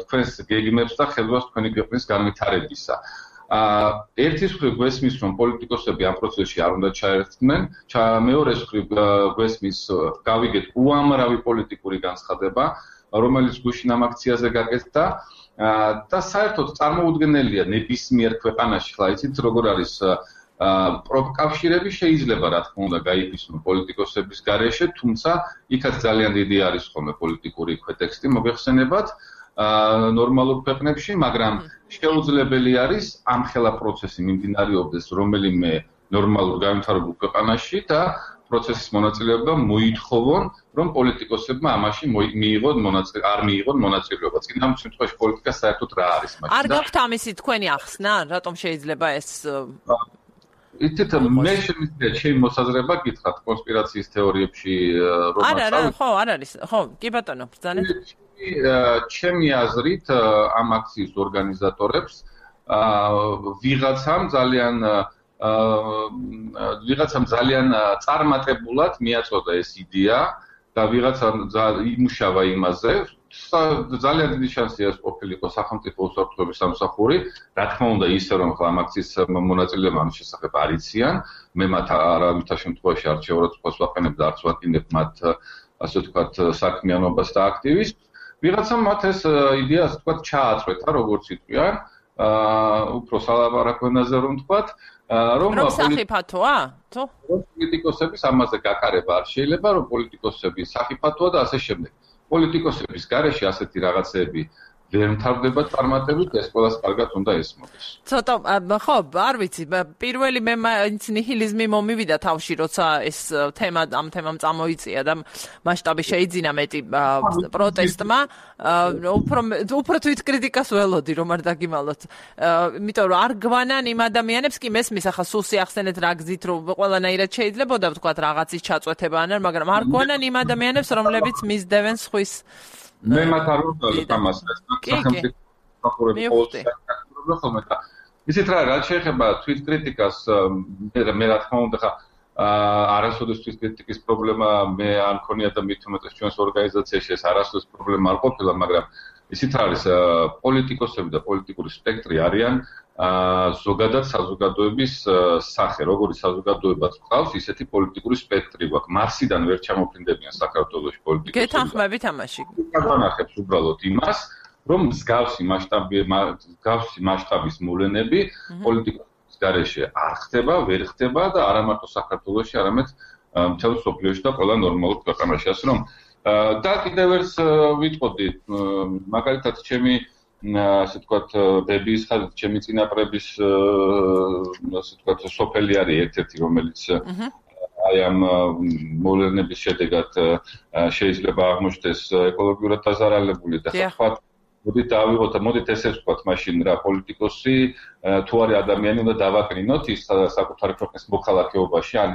თქვენს გეგმებს და ხელვას თქვენი ქვეყნის განვითარებისა. ერთის მხრივ გვესმის, რომ პოლიტიკოსები ამ პროცესში არ უნდა ჩაერთდნენ, მეორეს მხრივ გვესმის, გავიგეთ უამრავი პოლიტიკური განცხადება, რომელიც გუშინ ამ აქციაზე გაკეთდა და საერთოდ წარმოუდგენელია ნებისმიერ ქვეყანაში, ხლა იცით როგორ არის პროკავშირები შეიძლება რა თქმა უნდა გაიფისრონ პოლიტიკოსების გარეშე, თუმცა იქაც ძალიან დიდი არის ხოლმე პოლიტიკური ქვეტექსტი მოგეხსენებათ ნორმალურ ქვეყნებში, მაგრამ შეუძლებელი არის ამ ხელა პროცესი მიმდინარეობდეს რომელიმე ნორმალურ განვითარებულ ქვეყანაში და პროცესის მონაწილეობა მოითხოვონ, რომ პოლიტიკოსებმა ამაში არ მიიღონ მონაწილეობა. წინა შემთხვევაში პოლიტიკა საერთოდ რა არის მაშინ? არ გაქვთ ამისი თქვენი ახსნა, რატომ შეიძლება ეს იცით, მე შემიძლია ჩემი მოსაზრება გითხრათ კონსპირაციის თეორიებში რომ არ არის, ხო, კი ბატონო, ბრძანეთ. ჩემი აზრით ამ აქციის ორგანიზატორებს ვიღაცამ ძალიან წარმატებულად მიაწოდა ეს იდეა და ვიღაცამ იმუშავა იმაზე. ძალიან დიდი შანსია ეს ყოფილიყო სახელმწიფო უსაფრთხოების სამსახური, რა თქმა უნდა ისე რომ ხლა ამ აქციის მონაწილეები ამის შესახებ არ იციან, მე მათ არავითარ შემთხვევაში არ შეურაცხყოფას ვაყენებ და არც ვაკინებ მათ ასე ვთქვათ საქმიანობას და აქტივიზმს. ვიღაცამ მათ ეს იდეა ასე ვთქვათ ჩააწყვეტა, როგორც იტყვიან, უფრო სალაპარაკო ენაზე რომ ვთქვათ, რომ სახიფათოა? თუ პოლიტიკოსების ამაზე გაკარება არ შეიძლება, რომ პოლიტიკოსები სახიფათოა და ასე შემდეგ. პოლიტიკოსების გარეშე ასეთი რაღაცები ვერ მთავრდება წარმატებით, ეს ყველას კარგად უნდა ესმოდეს. ცოტა, ხო, არ ვიცი, პირველი მე მაინც ნიჰილიზმი მომივიდა თავში, როცა ეს თემა ამ თემამ წამოიწია და მასშტაბი შეიძინა მეტი პროტესტმა, უფრო თვით კრიტიკას ველოდი, რომ არ დაგიმალოთ. იმიტომ რომ არ გვანან იმ ადამიანებს, კი მესმის ახლა სულ შეახსენეთ რა გზით, რომ ყველანაირად შეიძლებოდა ვთქვათ რაღაცის ჩაწვეთება ან მაგრამ არ გვანან იმ ადამიანებს, რომლებიც მისდევენ სხვის მე მათ არ ვუწევთ ამას, სახელმწიფო სახელმწიფო ხოლმე და ისეთ რაც შეეხება თვით კრიტიკას, მე რა თქმა უნდა ხა არასოდეს თვით კრიტიკის პრობლემა მე არ მქონია და მით უმეტეს ჩვენს ორგანიზაციაში ეს არასოდეს პრობლემა არ ყოფილა, მაგრამ ისეთ არის პოლიტიკოსები და პოლიტიკური სპექტრი არიან ზოგადად საზოგადოების სახე, როგორი საზოგადოებაც ყავს, ისეთი პოლიტიკური სპექტრი გვაქვს. მარსიდან ვერ ჩამოფრინდებიან საქართველოში პოლიტიკოსები. გეთანხმებით ამაში? გათანხმებს უბრალოდ იმას, რომ მსგავსი მასშტაბის მოვლენები პოლიტიკოსების გარეშე არ ხდება, ვერ ხდება და არა მარტო საქართველოში, არამედ მთელ მსოფლიოში და ყველა ნორმალურ ქვეყანაში. ასე რომ და კიდევ ერთ ვიტყოდი, მაგალითად ჩემი ასე ვთქვათ, დების ხაზით, ჩემი წინაპრების ასე ვთქვათ, სოფელი არის ერთ-ერთი, რომელიც აი ამ მოვლენების შედეგად შეიძლება აღმოჩნდეს ეკოლოგიურად დაზარალებული და სხვა მოდით დავიღოთ და მოდით ესეც ვთქვათ მაშინ რა პოლიტიკოსი თუ არის ადამიანი უნდა დავაკრინოთ ის საკუთარი ქვეყნის მოქალაქეობაში ან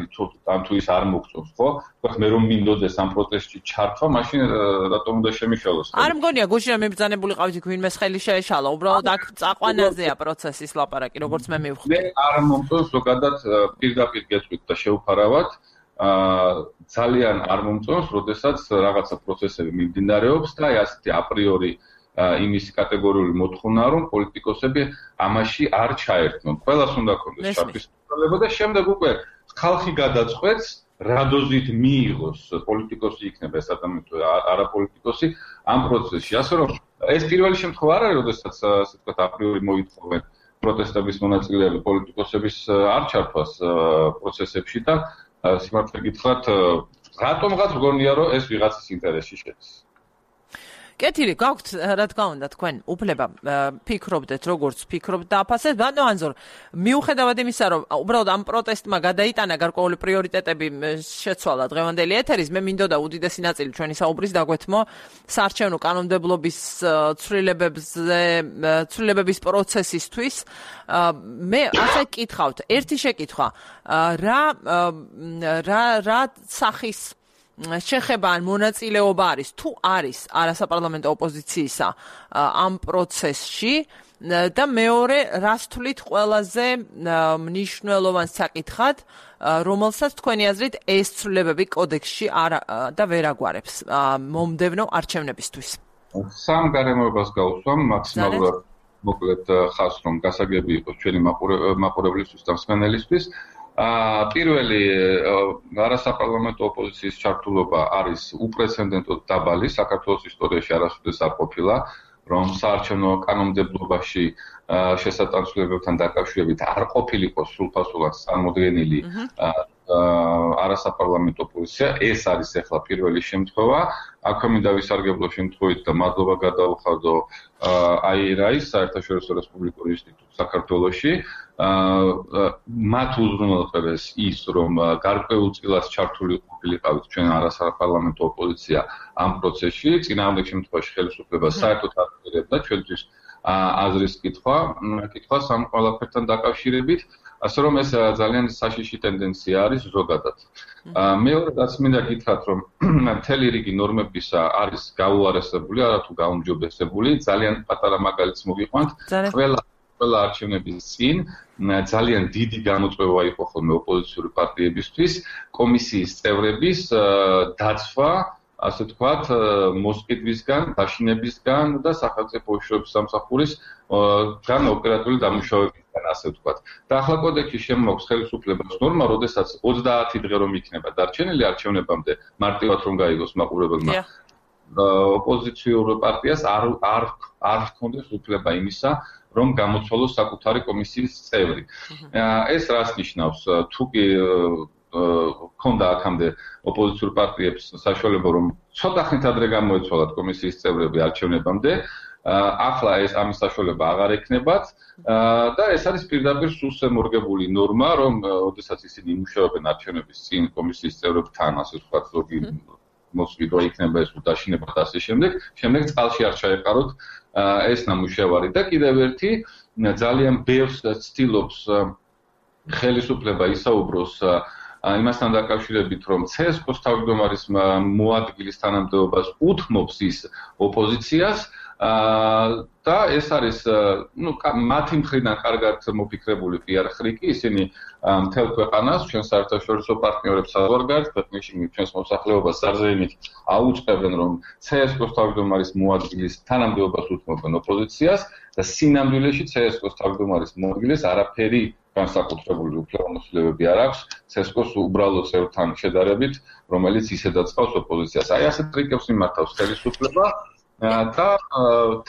თუ ის არ მოგწონს ხო ვთქვათ მე რომ მინდოდეს ამ პროტესტში ჩართვა მაშინ რატომ უნდა შემიშალოს არ მგონია გუშინ მიბრძანებული ყავით ვინმე ხელი შეეშალა უბრალოდ აქ წაყვანაზეა პროცესის ლაპარაკი როგორც მე მივხვდი მე არ მომწონს ზოგადად პირდაპირ გეტყვით და შევფარავად ძალიან არ მომწონს როდესაც რაღაცა პროცესები მიმდინარეობს და ასეთი აპრიორი იმის კატეგორიული მოთხოვნაა რომ პოლიტიკოსები ამაში არ ჩაერთნონ. ყველას უნდა ქონდეს ჩართვის საშუალება და შემდეგ უკვე ხალხი გადაწყვეტს რა დოზით მიიღოს პოლიტიკოსი იქნება ეს ადამიანი თუ არა პოლიტიკოსი ამ პროცესში. ასე რომ ეს პირველი შემთხვევა არ არის როდესაც ასე ვთქვათ აპრიორი მოითხოვენ პროტესტების მონაწილეები პოლიტიკოსების არ ჩართვას პროცესებში და სიმართლე გითხრათ რატომღაც მგონია რომ ეს ვიღაცის ინტერესში შედის. კეთილი, გაქვთ რა თქმა უნდა თქვენ უფლება ფიქრობდეთ როგორც ფიქრობთ და აფასეთ, ბატონო ანზორ, მიუხედავად იმისა, რომ უბრალოდ ამ პროტესტმა გადაიტანა გარკვეული პრიორიტეტები შეცვალა დღევანდელი ეთერის, მე მინდოდა უდიდესი ნაწილი ჩვენი საუბრის დაგვეთმო საარჩევნო კანონმდებლობის ცვლილებების პროცესისთვის. მე ასე გკითხავთ, ერთი შეკითხვა, რა სახის შეხება ან მონაწილეობა არის თუ არის არასაპარლამენტო ოპოზიციისა ამ პროცესში და მეორე რას თვლით ყველაზე მნიშვნელოვან საკითხად რომელსაც თქვენი აზრით ეს ცვლილებები კოდექსში და ვერ აგვარებს მომდევნო არჩევნებისთვის სამ გარემოებას გავუსვამ მაქსიმალურად მოკლედ ხაზს რომ გასაგები იყოს ჩვენი მაყურებლისთვის და მსმენელისთვის პირველი არასაპარლამენტო ოპოზიციის ჩართულობა არის უპრეცედენტოდ დაბალი საქართველოს ისტორიაში არასოდეს არ ყოფილა რომ საარჩევნო კანონმდებლობაში შესატანცვლებებთან დაკავშირებით არ ყოფილიყო სრულფასურად წარმოდგენილი არასაპარლამენტო ოპოზიცია ეს არის ახლა პირველი შემთხვევა აქვე მინდა ვისარგებლო შემთხვევით და მადლობა გადავხადო აირაის საერთაშორისო რესპუბლიკური ინსტიტუტს საქართველოში მათ უზრუნველყოფეს ის რომ გარკვეულწილად ჩართული ყოფილიყავით ჩვენ არასაპარლამენტო ოპოზიცია ამ პროცესში წინააღმდეგ შემთხვევაში ხელისუფლება საერთოდ არ აპირებდა ჩვენთვის აზრის კითხვა ამ ყველაფერთან დაკავშირებით ასე რომ ეს ძალიან საშიში ტენდენცია არის ზოგადად. მეორე რაც მინდა გითხრათ რომ მთელი რიგი ნორმებისა არის გაუარესებული, არათუ გაუმჯობესებული, ძალიან პატარა მაგალითს მოგიყვანთ. ყველა არჩევნების წინ ძალიან დიდი გამოწვევა იყო ხოლმე ოპოზიციური პარტიებისთვის კომისიის წევრების დაცვა ასე ვთქვათ, მოსყიდვისგან, დაშინებისგან და სახელმწიფო უშუალო სამსახურის თან ოპერატიული დამუშავებისგან, ასე ვთქვათ. და ახლა კოდექსში შემოაქვს ხელისუფლებას ნორმა, როდესაც 30 დღე რომ იქნება დარჩენილი არჩევნებამდე, მარტივად რომ გაიგოს მაყურებელმა. ოპოზიციურ პარტიას არ ჰქონდეს უფლება იმისა, რომ გამოცვალოს საკუთარი კომისიის წევრი. ეს რას ნიშნავს? თუ კი ქონდა აქამდე ოპოზიციურ პარტიებს საშუალება რომ ცოტა ხნით ადრე გამოეცვალათ კომისიის წევრები არჩევნებამდე ახლა ეს ამის საშუალება აღარ ექნებათ და ეს არის პირდაპირ სულსემორგებული ნორმა რომ ოდესაც ისინი იმუშავებენ არჩევნების წინ კომისიის წევრებთან ასე ვთქვათ ზოგი მოსვიდვა იქნება ეს უდაშინება და ასე შემდეგ წყალში არ ჩაეყაროთ ეს ნამუშევარი და კიდევ ერთი ძალიან ბევრს ცდილობს ხელისუფლება ისაუბროს იმასთან დაკავშირებით რომ CSKO-ს თავმჯდომარის მოადგილის თანამდებობას უთმობს ის ოპოზიციას და ეს არის მათი მხრიდან კარგად მოფიქრებული PR ხრიკი ისინი მთელ ქვეყანას ჩვენ საერთაშორისო პარტნიორებს საზღვარგარეთ ქვეყნებში ჩვენს მოსახლეობას სარზეიმით აუწყებენ რომ CSKO-ს თავმჯდომარის მოადგილის თანამდებობას უთმობენ ოპოზიციას და სინამდვილეში CSKO-ს თავმჯდომარის მოადგილეს არაფერი განსაკუთრებული უფლებამოსილებები არ აქვს CSKO-ს უბრალოდ წევრთან შედარებით, რომელიც ისედაც ყავს ოპოზიციას. აი ასეთ ტრიკებს მიმართავს ხელისუფლება და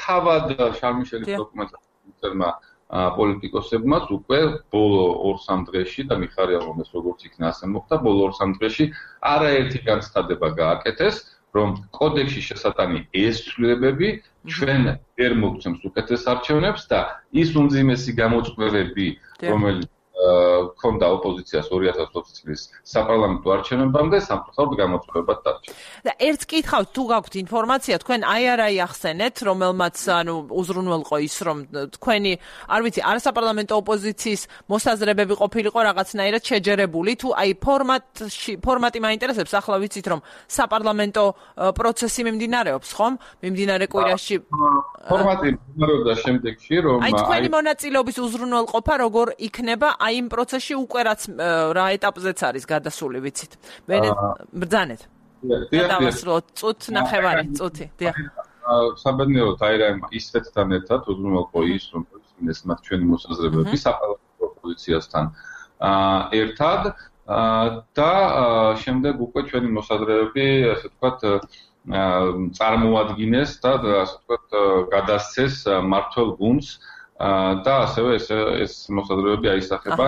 თავად შარმიშელის დოკუმენტმა პოლიტიკოსებმაც უკვე ბოლო 2-3 დღეში და მიხარია რომ ეს როგორც იქნა ასე მოხდა, ბოლო 2-3 დღეში არაერთი განცხადება გააკეთეს, რომ კოდექსში შესატანი ეს ცვლილებები ჩვენ ვერ მოგცემს უკეთეს არჩევნებს და ის უმძიმესი გამოწვევები, რომელიც ქონდა ოპოზიციას 2020 წლის საპარლამენტო არჩევნებამდე სამწუხაროდ გამოწვევებად დარჩა. და ერთს კითხავთ, თუ გაქვთ ინფორმაცია, თქვენ აი ახსენეთ, რომელმაც უზრუნველყო ის, რომ თქვენი, არ ვიცი, არასაპარლამენტო ოპოზიციის მოსაზრებები ყოფილიყო რაღაცნაირად შეჯერებული, თუ აი ფორმატი მაინტერესებს, ახლა ვიცით, რომ საპარლამენტო პროცესი მიმდინარეობს, ხომ? მიმდინარე კვირაში ფორმატი მიმდინარეობდა შემდეგში, რომ აი თქვენი მონაწილეობის უზრუნველყოფა როგორ იქნება აი იმ პროცესში უკვე რაც რა ეტაპზეც არის გადასული, ვიცით. ბრძანეთ. დავასრულოთ წუთ ნახევარი წუთი. დიახ. საბედნიეროდ აი რა ისეთთან ერთად უზრუნველყო ის, რომ ეს მათ ჩვენი მოსაზრებები საპარლამენტო ოპოზიციასთან ერთად და შემდეგ უკვე ჩვენი მოსაზრებები, ასე ვთქვათ, წარმოადგინეს და ასე ვთქვათ, გადასცეს მმართველ გუნდს და ასევე ეს მოსაზრებები აისახება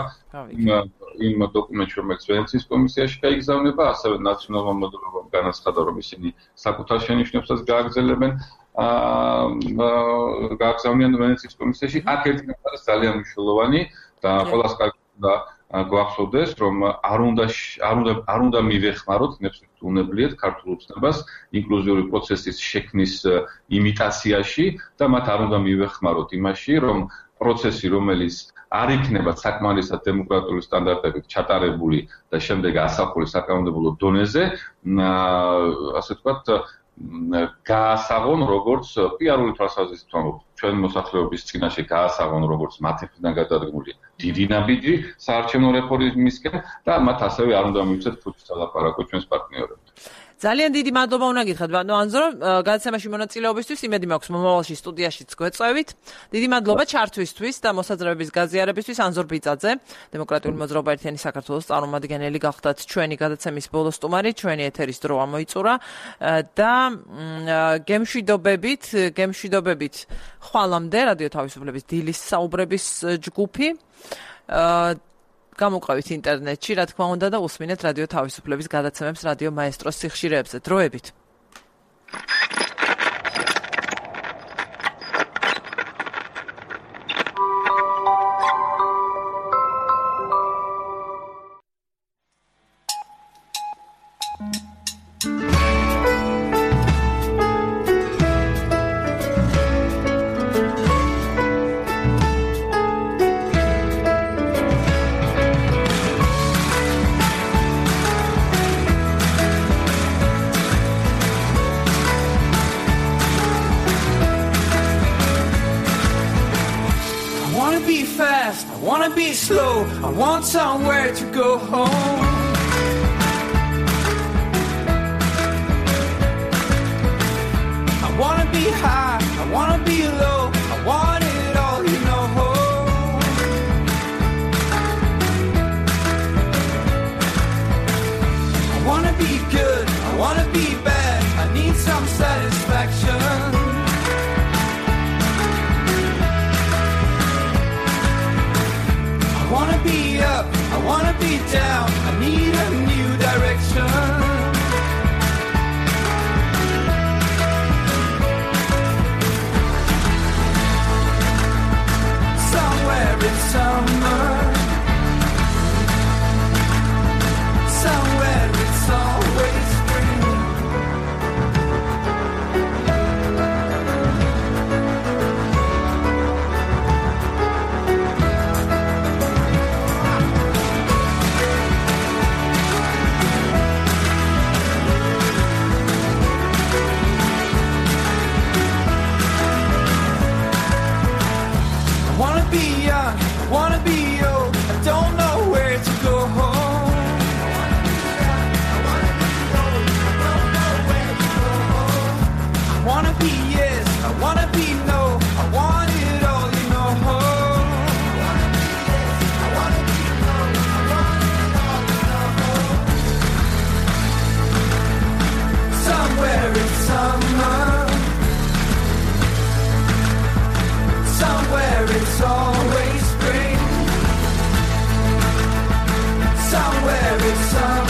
იმ დოკუმენტში, რომელიც ვენეციის კომისიაში გაიგზავნება, ასევე ნაციონალურმა მოდელობამ განაცხადა, რომ ისინი საკუთარ შენიშვნებსაც გააგზავნიან ვენეციის კომისიაში. აქ ერთი არის ძალიან მნიშვნელოვანი და ყველას კარგად უნდა გვახსოვდეს, რომ არ უნდა მივეხმაროთ ნებსუნებლიეთ ქართულ ოცნებას ინკლუზიური პროცესის შექმნის იმიტაციაში და მათ არ უნდა მივეხმაროთ იმაში, რომ პროცესი, რომელიც არ იქნება საკმარისად დემოკრატიული სტანდარტებით ჩატარებული და შემდეგ ასახული საკანონმდებლო დონეზე, ასე ვთქვათ, გაასაღონ როგორც პიარული თვალსაზრისით, ჩვენ მოსახლეობის წინაშე გაასაღონ როგორც მათი მხრიდან გადადგმული დიდი ნაბიჯი საარჩევნო რეფორმისკენ და მათ ასევე არ უნდა მივცეთ ფუძის ალაპარაკო ჩვენს პარტნიორებთან. ძალიან დიდი მადლობა უნდა გითხრათ ბატონო ანზო, გადაცემაში მონაწილეობისთვის, იმედი მაქვს მომავალში სტუდიაშიც გვეწევით. დიდი მადლობა ჩართვისთვის და მოსაზრებების გაზიარებისთვის ანზორ ბიძაძე, დემოკრატიული მოძრაობა ერთიანი საქართველოს წარმომადგენელი გახდათ ჩვენი გადაცემის ბოლო სტუმარი, ჩვენი ეთერის დრო ამოიწურა და გემშვიდობებით ხვალამდე რადიო თავისუფლების დილის საუბრების ჯგუფი გამოყავით ინტერნეტში, რა თქმა უნდა და უსმინეთ რადიო თავისუფლების გადაცემებს რადიო მაესტროს სიხშირეებზე. დროებით. I want somewhere to go home. I wanna be high, I wanna be low, I want it all, you know. I wanna be good, I wanna be bad, I need some satisfaction. I wanna be up, I wanna be down, I need a new direction. Somewhere in summer, somewhere it's always spring. Wanna be old, I don't know where to go home. I wanna be yes, I wanna be no, I want it all, you know. Somewhere in summer, somewhere it's always spring. Somewhere it's summer.